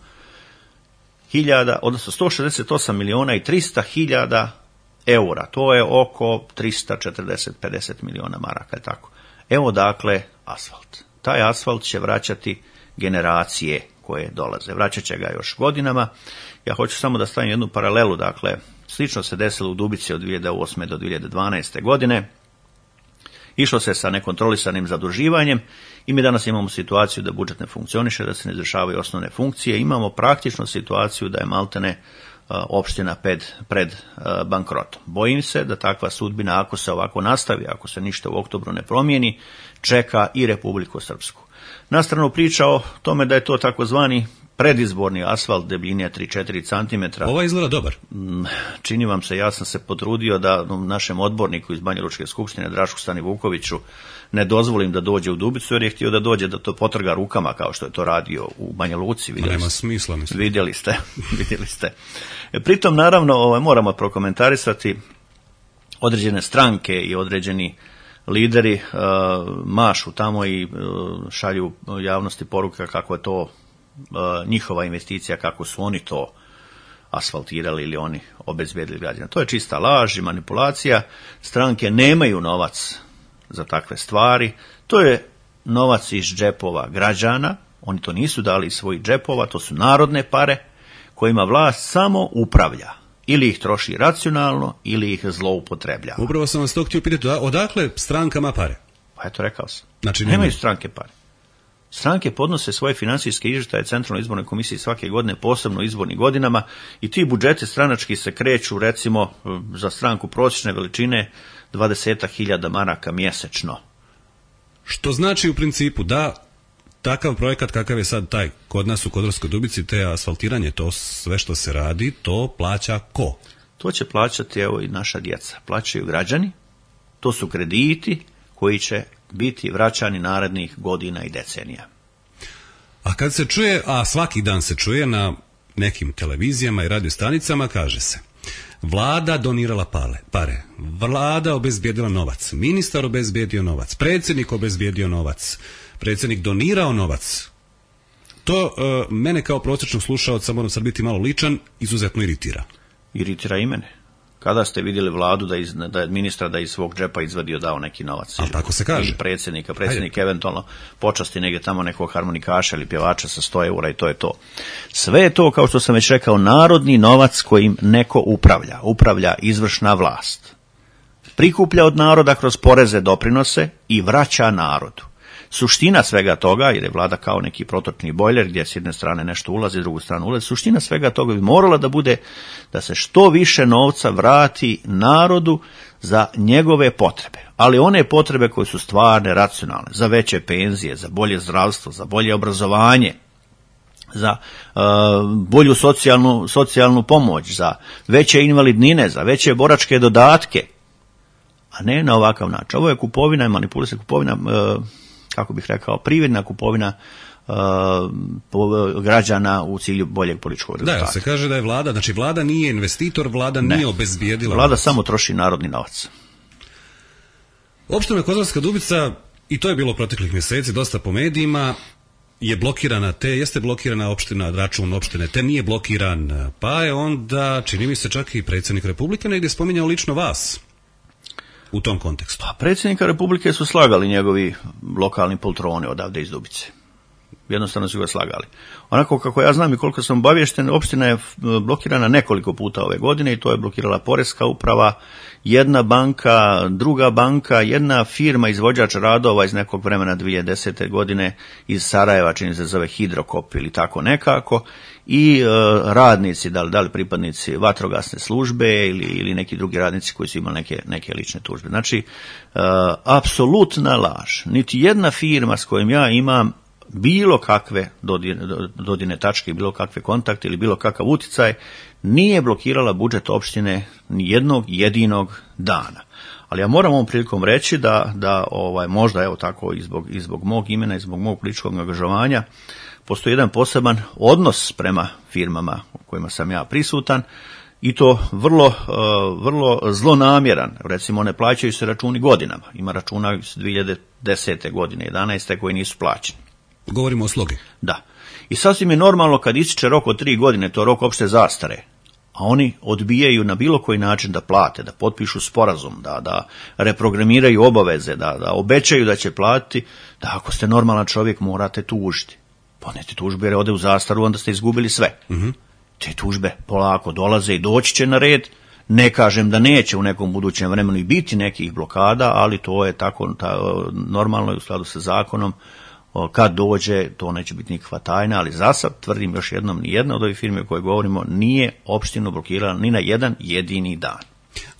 S2: hiljada, odnosno sto šezdeset osam miliona i trista hiljada eura. To je oko trista četrdeset do pedeset miliona maraka, je tako. Evo dakle asfalt. Taj asfalt će vraćati generacije koje dolaze. Vraćat će ga još godinama. Ja hoću samo da stavim jednu paralelu, dakle, slično se desilo u Dubici od dvije hiljade osme do dvije hiljade dvanaeste godine. Išlo se sa nekontrolisanim zaduživanjem i mi danas imamo situaciju da budžet ne funkcioniše, da se ne izvršavaju osnovne funkcije. Imamo praktično situaciju da je maltene opština pred, pred bankrotom. Bojim se da takva sudbina, ako se ovako nastavi, ako se ništa u oktobru ne promijeni, čeka i Republiku Srpsku. Na stranu priča o tome da je to takozvani predizborni asfalt debljine tri do četiri centimetra.
S1: Ovo izgleda dobar.
S2: Čini vam se, ja sam se potrudio da našem odborniku iz Banjalučke skupštine, Drašku Stani Vukoviću, ne dozvolim da dođe u Dubicu, jer je htio da dođe da to potrga rukama, kao što je to radio u Banja Luci.
S1: Vidjeli nema ste. Smisla, mislim.
S2: Vidjeli ste, vidjeli ste. Pritom, naravno, ovaj, moramo prokomentarisati određene stranke i određeni lideri uh, mašu tamo i uh, šalju javnosti poruka kako je to uh, njihova investicija, kako su oni to asfaltirali ili oni obezbedili građana. To je čista laž i manipulacija. Stranke nemaju novac za takve stvari. To je novac iz džepova građana. Oni to nisu dali iz svojih džepova, to su narodne pare kojima vlast samo upravlja. Ili ih troši racionalno, ili ih zloupotrebljava.
S1: Upravo sam vas to htio pitati, odakle strankama pare?
S2: Pa eto, rekao sam.
S1: Znači,
S2: nemaju nema. stranke pare. Stranke podnose svoje financijske izvještaje Centralnoj izbornoj komisiji svake godine, posebno u izbornim godinama, i ti budžeti stranački se kreću, recimo, za stranku prosječne veličine dvadeset hiljada maraka mjesečno.
S1: Što znači u principu da takav projekat kakav je sad taj kod nas u Kozarskoj Dubici, te asfaltiranje, to sve što se radi, to plaća ko?
S2: To će plaćati, evo, i naša djeca. Plaćaju građani, to su krediti koji će biti vraćani narednih godina i decenija.
S1: A kad se čuje, a svaki dan se čuje na nekim televizijama i radio stanicama, kaže se, Vlada donirala pale, pare, vlada obezbijedila novac, ministar obezbijedio novac, predsjednik obezbijedio novac, predsjednik donirao novac. To uh, mene kao prosječnog slušaoca, moram sad biti malo ličan, izuzetno iritira.
S2: Iritira i mene. Kada ste vidjeli vladu da, iz, da je ministra da iz svog džepa izvadio dao neki novac?
S1: A tako se kaže.
S2: Ili predsjednika, predsjednik Ajde. eventualno počasti negdje tamo nekog harmonikaša ili pjevača sa sto eura i to je to. Sve je to, kao što sam već rekao, narodni novac kojim neko upravlja. Upravlja izvršna vlast. Prikuplja od naroda kroz poreze, doprinose i vraća narodu. Suština svega toga, jer je vlada kao neki protočni bojler gdje s jedne strane nešto ulazi, s drugu stranu ulazi, suština svega toga bi morala da bude da se što više novca vrati narodu za njegove potrebe. Ali one potrebe koje su stvarne, racionalne, za veće penzije, za bolje zdravstvo, za bolje obrazovanje, za uh, bolju socijalnu, socijalnu pomoć, za veće invalidnine, za veće boračke dodatke, a ne na ovakav način. Ovo je kupovina i manipulacija, kupovina uh, kako bih rekao, privredna kupovina uh, građana u cilju boljeg političkog rezultata.
S1: Da, se kaže da je vlada, znači vlada nije investitor, vlada ne. nije obezbijedila.
S2: Vlada
S1: novac.
S2: samo troši narodni novac.
S1: Opština Kozarska Dubica, i to je bilo proteklih mjeseci, dosta po medijima, je blokirana te, jeste blokirana opština, račun opštine te nije blokiran, pa je onda, čini mi se čak i predsjednik Republike negdje spominjao lično vas u tom kontekstu.
S2: Pa predsjednika Republike su slagali njegovi lokalni poltroni odavde iz Dubice. Jednostavno su ga slagali. Onako kako ja znam i koliko sam obaviješten, opština je blokirana nekoliko puta ove godine i to je blokirala Poreska uprava, jedna banka, druga banka, jedna firma izvođač radova iz nekog vremena dvije hiljade desete godine iz Sarajeva, čini se zove Hidrokop ili tako nekako, i e, radnici, da li, da li pripadnici vatrogasne službe ili, ili neki drugi radnici koji su imali neke, neke lične tužbe. Znači, e, apsolutna laž. Niti jedna firma s kojom ja imam bilo kakve dodirne, dodirne tačke, bilo kakve kontakte ili bilo kakav utjecaj, nije blokirala budžet opštine ni jednog jedinog dana. Ali ja moram ovom prilikom reći da, da ovaj, možda evo tako i zbog, i zbog mog imena i zbog mog političkog angažovanja postoji jedan poseban odnos prema firmama u kojima sam ja prisutan i to vrlo, vrlo zlonamjeran. Recimo, ne plaćaju se računi godinama. Ima računa iz dvije hiljade desete godine, jedanaeste koji nisu plaćeni.
S1: Govorimo o slogi.
S2: Da. I sasvim je normalno kad ističe rok od tri godine, to je rok opšte zastare, a oni odbijaju na bilo koji način da plate, da potpišu sporazum, da, da reprogramiraju obaveze, da, da obećaju da će platiti, da ako ste normalan čovjek morate tužiti. Ponete tužbe jer ode u zastaru, onda ste izgubili sve. Uh-huh. Te tužbe polako dolaze i doći će na red. Ne kažem da neće u nekom budućem vremenu i biti nekih blokada, ali to je tako ta, normalno i u skladu sa zakonom. Kad dođe, to neće biti nikakva tajna, ali za sad tvrdim još jednom, ni jedna od ovih firme o kojoj govorimo nije opštinu blokirala ni na jedan jedini dan.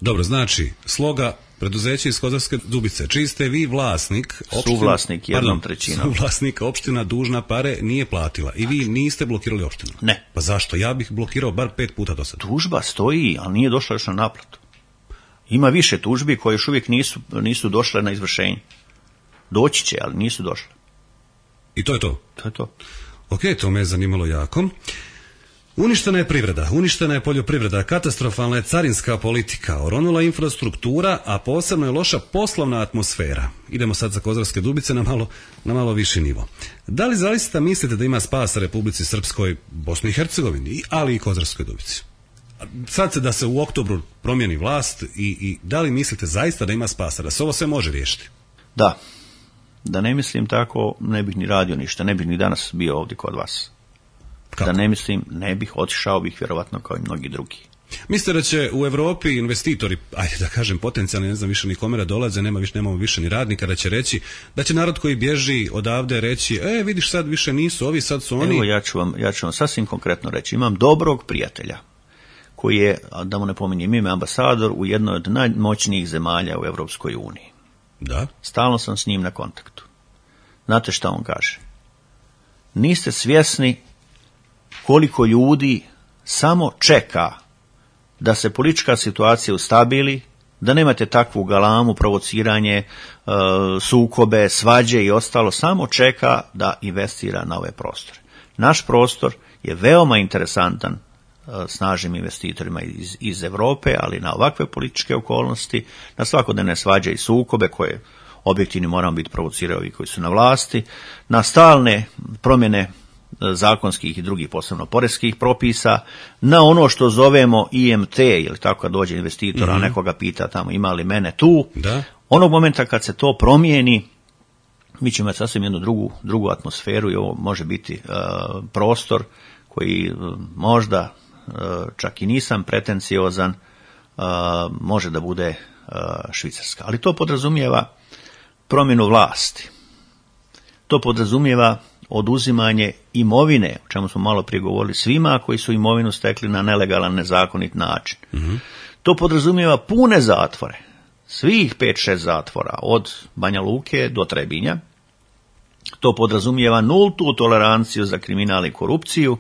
S1: Dobro, znači, sloga preduzeće iz Kozarske Dubice, čiji ste vi vlasnik, opština,
S2: suvlasnik jednom
S1: pardon,
S2: trećinom.
S1: Suvlasnik, opština dužna pare nije platila i vi niste blokirali opštinu.
S2: Ne.
S1: Pa zašto? Ja bih blokirao bar pet puta do sada.
S2: Tužba stoji, ali nije došla još na naplatu. Ima više tužbi koje još uvijek nisu, nisu došle na izvršenje. Doći će, ali nisu došle.
S1: I to je to?
S2: To je to.
S1: Ok, to me je zanimalo jako. Uništena je privreda, uništena je poljoprivreda, katastrofalna je carinska politika, oronula infrastruktura, a posebno je loša poslovna atmosfera. Idemo sad za Kozarske Dubice na malo, na malo viši nivo. Da li zaista mislite da ima spasa Republici Srpskoj, Bosni i Hercegovini, ali i Kozarskoj Dubici? Sad se da se u oktobru promijeni vlast i, i da li mislite zaista da ima spasa, da se ovo sve može riješiti?
S2: Da. Da ne mislim tako, ne bih ni radio ništa, ne bih ni danas bio ovdje kod vas. Kako? Da ne mislim, ne bih, otišao bih vjerovatno kao i mnogi drugi.
S1: Mislite da će u Europi investitori, ajde da kažem potencijalni, ne znam više ni kome da dolaze, nema više, nemamo više ni radnika, da će reći, da će narod koji bježi odavde reći, e vidiš sad više nisu ovi, sad su oni.
S2: Evo ja ću vam, ja ću vam sasvim konkretno reći, imam dobrog prijatelja koji je, da mu ne pominjem ime, ambasador u jednoj od najmoćnijih zemalja u Europskoj uniji.
S1: Da.
S2: Stalno sam s njim na kontaktu. Znate šta on kaže? Niste svjesni koliko ljudi samo čeka da se politička situacija ustabili, da nemate takvu galamu, provociranje, e, sukobe, svađe i ostalo, samo čeka da investira na ove prostore. Naš prostor je veoma interesantan snažnim investitorima iz, iz Europe, ali na ovakve političke okolnosti, na svakodnevne svađe i sukobe koje objektivni moramo biti provociraju ovi koji su na vlasti, na stalne promjene zakonskih i drugih posebno poreskih propisa, na ono što zovemo I M T, ili tako kad dođe investitora, mm-hmm. nekoga pita tamo ima li mene tu,
S1: da.
S2: Onog momenta kad se to promijeni, mi ćemo imati sasvim jednu drugu, drugu atmosferu i ovo može biti uh, prostor koji uh, možda uh, čak i nisam pretenciozan, uh, može da bude uh, Švicarska. Ali to podrazumijeva promjenu vlasti. To podrazumijeva oduzimanje imovine, o čemu smo malo prije govorili, svima koji su imovinu stekli na nelegalan, nezakonit način. Mm-hmm. To podrazumijeva pune zatvore, svih pet šest zatvora, od Banja Luke do Trebinja. To podrazumijeva nultu toleranciju za kriminal i korupciju,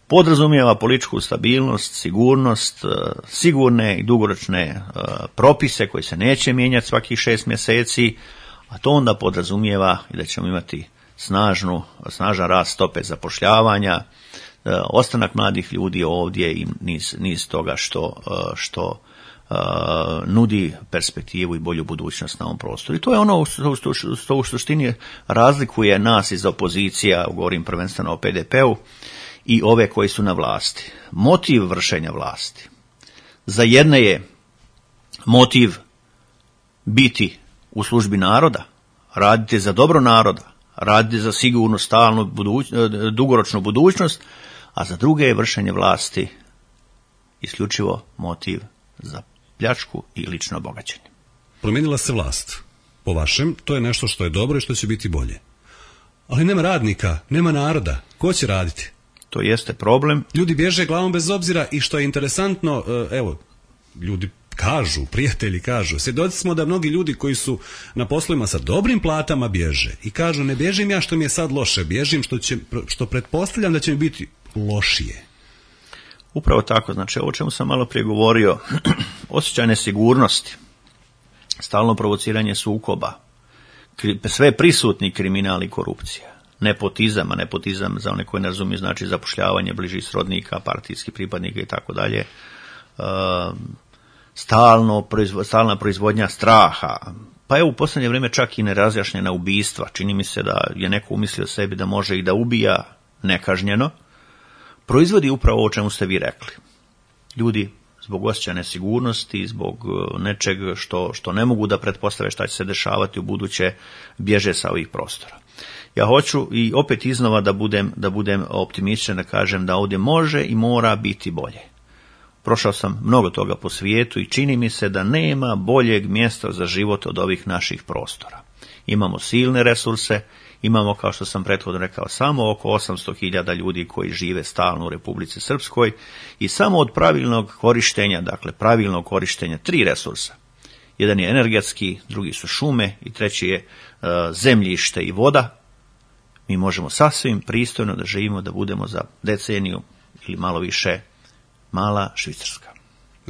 S2: podrazumijeva političku stabilnost, sigurnost, sigurne i dugoročne propise koji se neće mijenjati svakih šest mjeseci, a to onda podrazumijeva i da ćemo imati snažnu, snažan rast stope zapošljavanja, ostanak mladih ljudi ovdje i niz, niz toga što, što uh, nudi perspektivu i bolju budućnost na ovom prostoru. I to je ono što u suštini razlikuje nas iz opozicija, govorim prvenstveno o P D P-u, i ove koji su na vlasti. Motiv vršenja vlasti. Za jedne je motiv biti u službi naroda, raditi za dobro naroda, raditi za sigurnu, stalnu, buduć, dugoročnu budućnost, a za druge je vršenje vlasti isključivo motiv za pljačku i lično bogaćenje.
S1: Promijenila se vlast. Po vašem, to je nešto što je dobro i što će biti bolje. Ali nema radnika, nema naroda. Ko će raditi?
S2: To jeste problem.
S1: Ljudi bježe glavom bez obzira i što je interesantno, evo, ljudi kažu, prijatelji kažu, svjedoci smo da mnogi ljudi koji su na poslovima sa dobrim platama bježe i kažu ne bježim ja što mi je sad loše, bježim što, će, što pretpostavljam da će mi biti lošije.
S2: Upravo tako, znači ovo čemu sam malo prije govorio, osjećaj nesigurnosti, stalno provociranje sukoba, sve prisutni kriminal i korupcija, nepotizam, a nepotizam za one koji ne razumiju znači zapošljavanje bližih srodnika, partijskih pripadnika i tako dalje, stalno proizvo, stalna proizvodnja straha, pa evo u posljednje vrijeme čak i nerazjašnjena ubistva. Čini mi se da je neko umislio sebi da može i da ubija nekažnjeno, proizvodi upravo o čemu ste vi rekli. Ljudi zbog osjećaja nesigurnosti, zbog nečeg što, što ne mogu da pretpostave šta će se dešavati u buduće, bježe sa ovih prostora. Ja hoću i opet iznova da budem, da budem optimističan, da kažem da ovdje može i mora biti bolje. Prošao sam mnogo toga po svijetu i čini mi se da nema boljeg mjesta za život od ovih naših prostora. Imamo silne resurse, imamo, kao što sam prethodno rekao, samo oko osamsto hiljada ljudi koji žive stalno u Republici Srpskoj i samo od pravilnog korištenja, dakle pravilnog korištenja tri resursa. Jedan je energetski, drugi su šume i treći je uh, zemljište i voda. Mi možemo sasvim pristojno da živimo, da budemo za deceniju ili malo više mala Švicarska.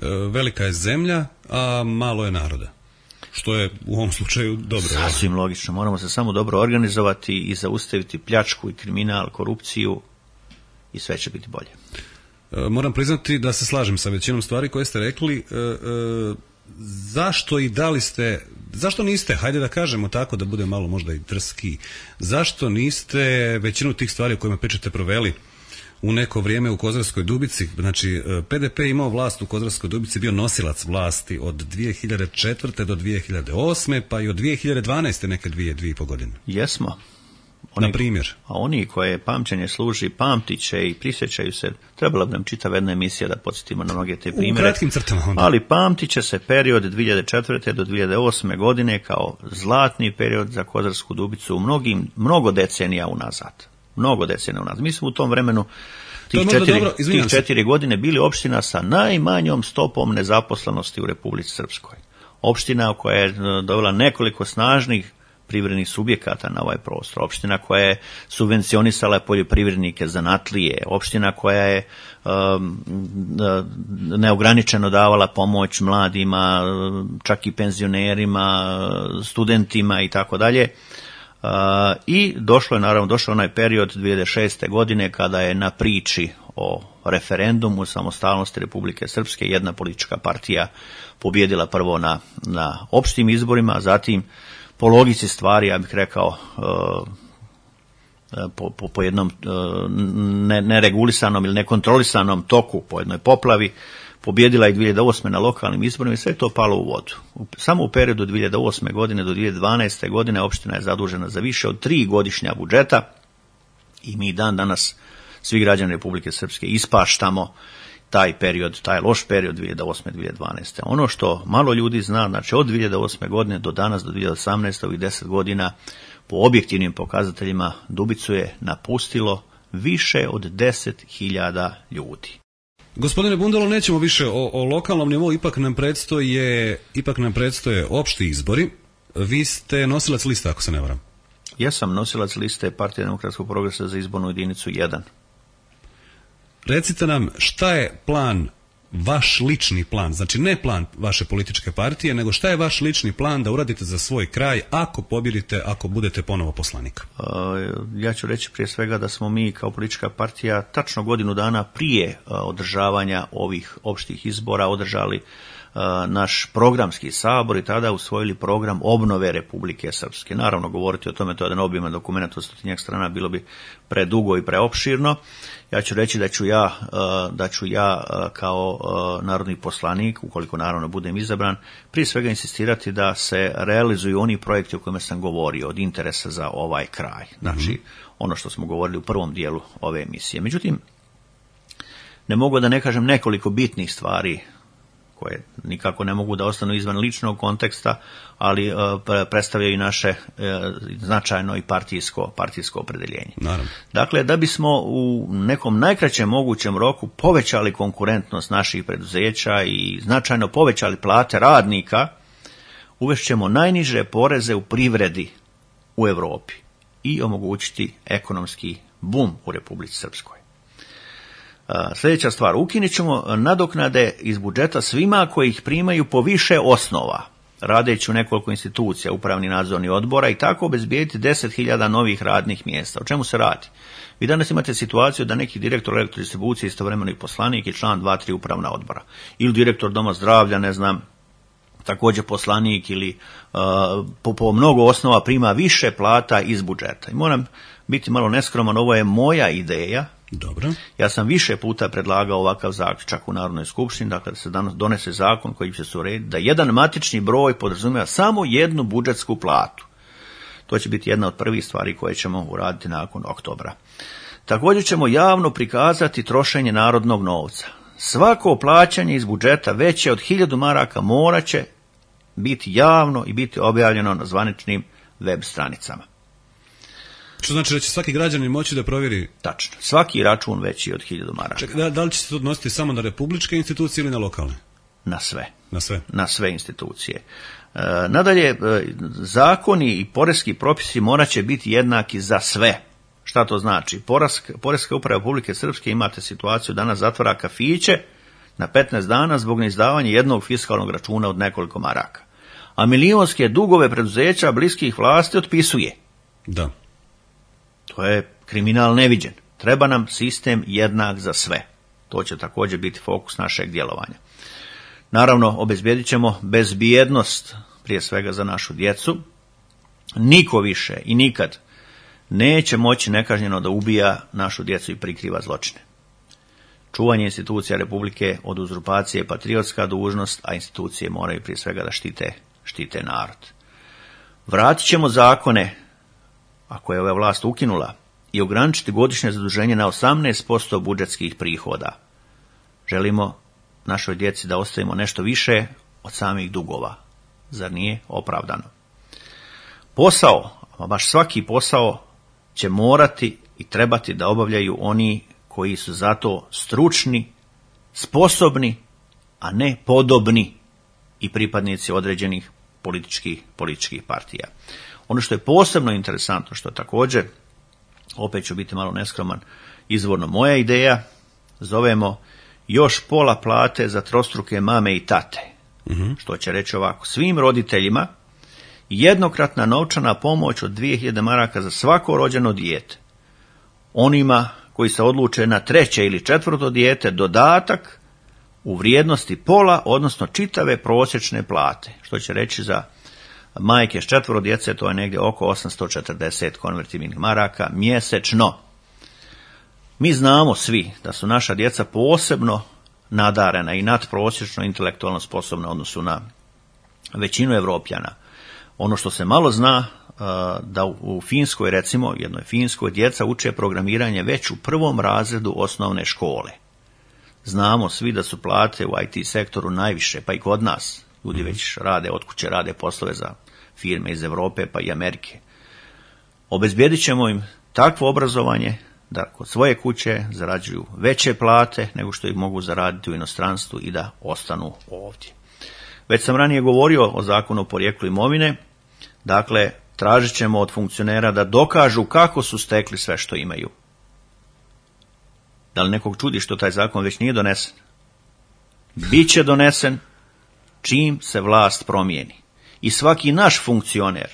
S1: E, velika je zemlja, a malo je naroda. Što je u ovom slučaju dobro.
S2: Sasvim logično. Moramo se samo dobro organizovati i zaustaviti pljačku i kriminal, korupciju i sve će biti bolje.
S1: E, moram priznati da se slažem sa većinom stvari koje ste rekli. E, e, zašto i da li ste, zašto niste, hajde da kažemo tako da bude malo možda i drski, zašto niste većinu tih stvari o kojima pričate proveli u neko vrijeme u Kozarskoj Dubici? Znači, P D P imao vlast u Kozarskoj Dubici, bio nosilac vlasti od dvije hiljade četvrte do dvije hiljade osme, pa i od dvije hiljade dvanaeste neke dvije, dvije i po godine.
S2: Jesmo. Oni,
S1: na primjer.
S2: A oni koje pamćenje služi, pamtit će i prisjećaju se, trebala bi nam čitava jedna emisija da podsjetimo na mnoge te primjere.
S1: U kratkim crtama onda.
S2: Ali pamtit će se period dvije hiljade četvrte do dvije hiljade osme godine kao zlatni period za Kozarsku Dubicu u mnogim, mnogo decenija unazad. Mnogo decenija unazad. Mi smo u tom vremenu tih četiri, dobro, tih četiri godine bili opština sa najmanjom stopom nezaposlenosti u Republici Srpskoj. Opština koja je dovela nekoliko snažnih privrednih subjekata na ovaj prostor, opština koja je subvencionisala poljoprivrednike, zanatlije, opština koja je um, neograničeno davala pomoć mladima, čak i penzionerima, studentima i tako dalje. I došlo je, naravno, došao onaj period dvije hiljade šeste godine kada je na priči o referendumu samostalnosti Republike Srpske. Jedna politička partija pobjedila prvo na, na opštim izborima, a zatim po logici stvari, ja bih rekao, po, po, po jednom ne, neregulisanom ili nekontrolisanom toku, po jednoj poplavi, pobjedila je dvije hiljade osme na lokalnim izborima i sve je to palo u vodu. Samo u periodu dvije hiljade osme godine do dvije hiljade dvanaeste godine opština je zadužena za više od tri godišnja budžeta i mi dan danas, svi građani Republike Srpske, ispaštamo taj period, taj loš period dvije hiljade osme do dvije hiljade dvanaeste. Ono što malo ljudi zna, znači od dvije hiljade osme godine do danas, do dvije hiljade osamnaeste, ovih deset godina, po objektivnim pokazateljima Dubicu je napustilo više od deset hiljada ljudi.
S1: Gospodine Bundalo, nećemo više o, o lokalnom nivou, ipak nam predstoje, ipak nam predstoje opšti izbori. Vi ste nosilac liste, ako se ne varam.
S2: Ja sam nosilac liste Partije demokratskog progresa za izbornu jedinicu jedan.
S1: Recite nam, šta je plan, vaš lični plan, znači ne plan vaše političke partije, nego šta je vaš lični plan da uradite za svoj kraj ako pobjedite, ako budete ponovo poslanik?
S2: Uh, ja ću reći prije svega da smo mi kao politička partija tačno godinu dana prije uh, održavanja ovih opštih izbora održali uh, naš programski sabor i tada usvojili program obnove Republike Srpske. Naravno, govoriti o tome, to je jedan obiman dokument od stotinjak strana, bilo bi predugo i preopširno. Ja ću reći da ću ja, da ću ja kao narodni poslanik, ukoliko naravno budem izabran, prije svega insistirati da se realizuju oni projekti o kojima sam govorio, od interesa za ovaj kraj. Znači, mm-hmm. ono što smo govorili u prvom dijelu ove emisije. Međutim, ne mogu da ne kažem nekoliko bitnih stvari koje nikako ne mogu da ostanu izvan ličnog konteksta, ali uh, predstavljaju i naše uh, značajno i partijsko, partijsko opredeljenje.
S1: Naravno.
S2: Dakle, da bismo u nekom najkraćem mogućem roku povećali konkurentnost naših preduzeća i značajno povećali plate radnika, uvešćemo najniže poreze u privredi u Europi i omogućiti ekonomski bum u Republici Srpskoj. Sljedeća stvar, ukinut ćemo nadoknade iz budžeta svima koji ih primaju po više osnova, radeći u nekoliko institucija, upravni nadzorni odbora i tako obezbijediti deset hiljada novih radnih mjesta. O čemu se radi? Vi danas imate situaciju da neki direktor elektrodistribucije istovremeno i poslanik i član dva tri upravna odbora. Ili direktor doma zdravlja, ne znam, također poslanik ili uh, po, po mnogo osnova prima više plata iz budžeta. I moram biti malo neskroman, ovo je moja ideja.
S1: Dobro.
S2: Ja sam više puta predlagao ovakav zaključak u Narodnoj skupštini, dakle da se donese zakon koji će se urediti da jedan matični broj podrazumijeva samo jednu budžetsku platu. To će biti jedna od prvih stvari koje ćemo uraditi nakon oktobra. Također ćemo javno prikazati trošenje narodnog novca. Svako plaćanje iz budžeta veće od hiljadu maraka morat će biti javno i biti objavljeno na zvaničnim web stranicama.
S1: Što znači da će svaki građanin moći da provjeri?
S2: Tačno. Svaki račun veći od hiljadu maraka.
S1: Ček, da, da li će se to odnositi samo na republičke institucije ili na lokalne?
S2: Na sve.
S1: Na sve?
S2: Na sve institucije. E, nadalje, e, zakoni i poreski propisi morat će biti jednaki za sve. Šta to znači? Poreska, Poreska uprava Republike Srpske, imate situaciju, danas zatvara kafiće na petnaest dana zbog neizdavanja jednog fiskalnog računa od nekoliko maraka. A milionske dugove preduzeća bliskih vlasti otpisuje.
S1: Da.
S2: To je kriminal neviđen. Treba nam sistem jednak za sve. To će također biti fokus našeg djelovanja. Naravno, obezbijedit ćemo bezbjednost, prije svega za našu djecu. Niko više i nikad neće moći nekažnjeno da ubija našu djecu i prikriva zločine. Čuvanje institucija Republike od uzurpacije je patriotska dužnost, a institucije moraju prije svega da štite, štite narod. Vratit ćemo zakone, ako je ova vlast ukinula, i ograničiti godišnje zaduženje na osamnaest posto budžetskih prihoda. Želimo našoj djeci da ostavimo nešto više od samih dugova. Zar nije opravdano? Posao, a baš svaki posao, će morati i trebati da obavljaju oni koji su za to stručni, sposobni, a ne podobni i pripadnici određenih političkih, političkih partija. Ono što je posebno interesantno, što također, opet ću biti malo neskroman, izvorno moja ideja, zovemo još pola plate za trostruke mame i tate. Mm-hmm. Što će reći ovako, svim roditeljima jednokratna novčana pomoć od dvije hiljade maraka za svako rođeno dijete. Onima koji se odluče na treće ili četvrto dijete dodatak u vrijednosti pola, odnosno čitave prosječne plate, što će reći za majke s četvoro djece, to je negdje oko osamsto četrdeset konvertibilnih maraka mjesečno. Mi znamo svi da su naša djeca posebno nadarena i nadprosječno intelektualno sposobna u odnosu na većinu Evropljana. Ono što se malo zna, da u Finskoj, recimo, jednoj Finskoj, djeca uče programiranje već u prvom razredu osnovne škole. Znamo svi da su plate u I T sektoru najviše, pa i kod nas. Ljudi već rade, od kuće rade poslove za firme iz Europe pa i Amerike. Obezbijedit ćemo im takvo obrazovanje da kod svoje kuće zarađuju veće plate nego što ih mogu zaraditi u inostranstvu i da ostanu ovdje. Već sam ranije govorio o zakonu o porijeklu imovine, dakle, tražit ćemo od funkcionera da dokažu kako su stekli sve što imaju. Da li nekog čudi što taj zakon već nije donesen? Biće donesen čim se vlast promijeni. I svaki naš funkcioner,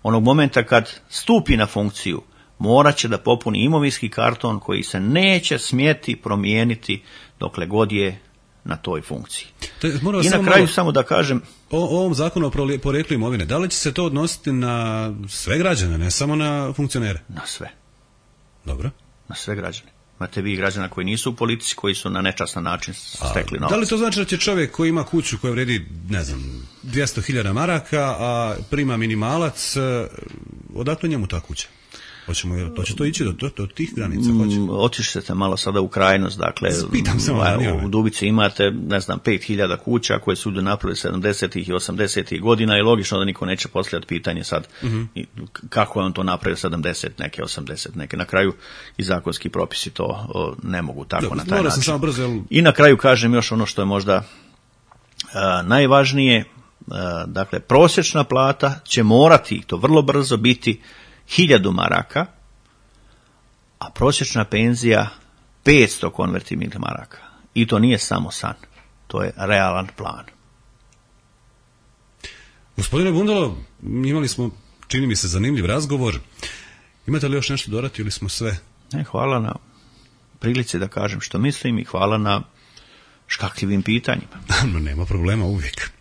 S2: onog momenta kad stupi na funkciju, morat će da popuni imovinski karton koji se neće smjeti promijeniti dokle god je na toj funkciji.
S1: Te,
S2: I na kraju malo, samo da kažem...
S1: O, o ovom zakonu o porijeklu imovine, da li će se to odnositi na sve građane, ne samo na funkcionere?
S2: Na sve.
S1: Dobro.
S2: Na sve građane. Imate vi građana koji nisu u politici, koji su na nečastan način stekli novac.
S1: Da li to znači da će čovjek koji ima kuću koja vredi, ne znam, dvjesto hiljada maraka, a prima minimalac, odakle njemu ta kuća? Hoćemo, to će to ići do, do, do tih granica?
S2: Otišćete malo sada u krajnost, dakle,
S1: se
S2: u Dubici imate, ne znam, pet hiljada kuća koje su napravili sedamdesetih i osamdesetih godina i logično da niko neće postavljati pitanje sad uh-huh. kako je on to napravio sedamdeset, neke osamdeset, neke. Na kraju i zakonski propisi to o, ne mogu tako Dobre, na taj način.
S1: Sam brzo, jel...
S2: I na kraju kažem još ono što je možda a, najvažnije, a, dakle, prosječna plata će morati, to vrlo brzo, biti hiljadu maraka, a prosječna penzija petsto konvertibilnih maraka. I to nije samo san, to je realan plan.
S1: Gospodine Bundalo, imali smo, čini mi se, zanimljiv razgovor. Imate li još nešto dodati ili smo sve?
S2: Ne, hvala na prilici da kažem što mislim i hvala na škakljivim pitanjima.
S1: Nema problema, uvijek.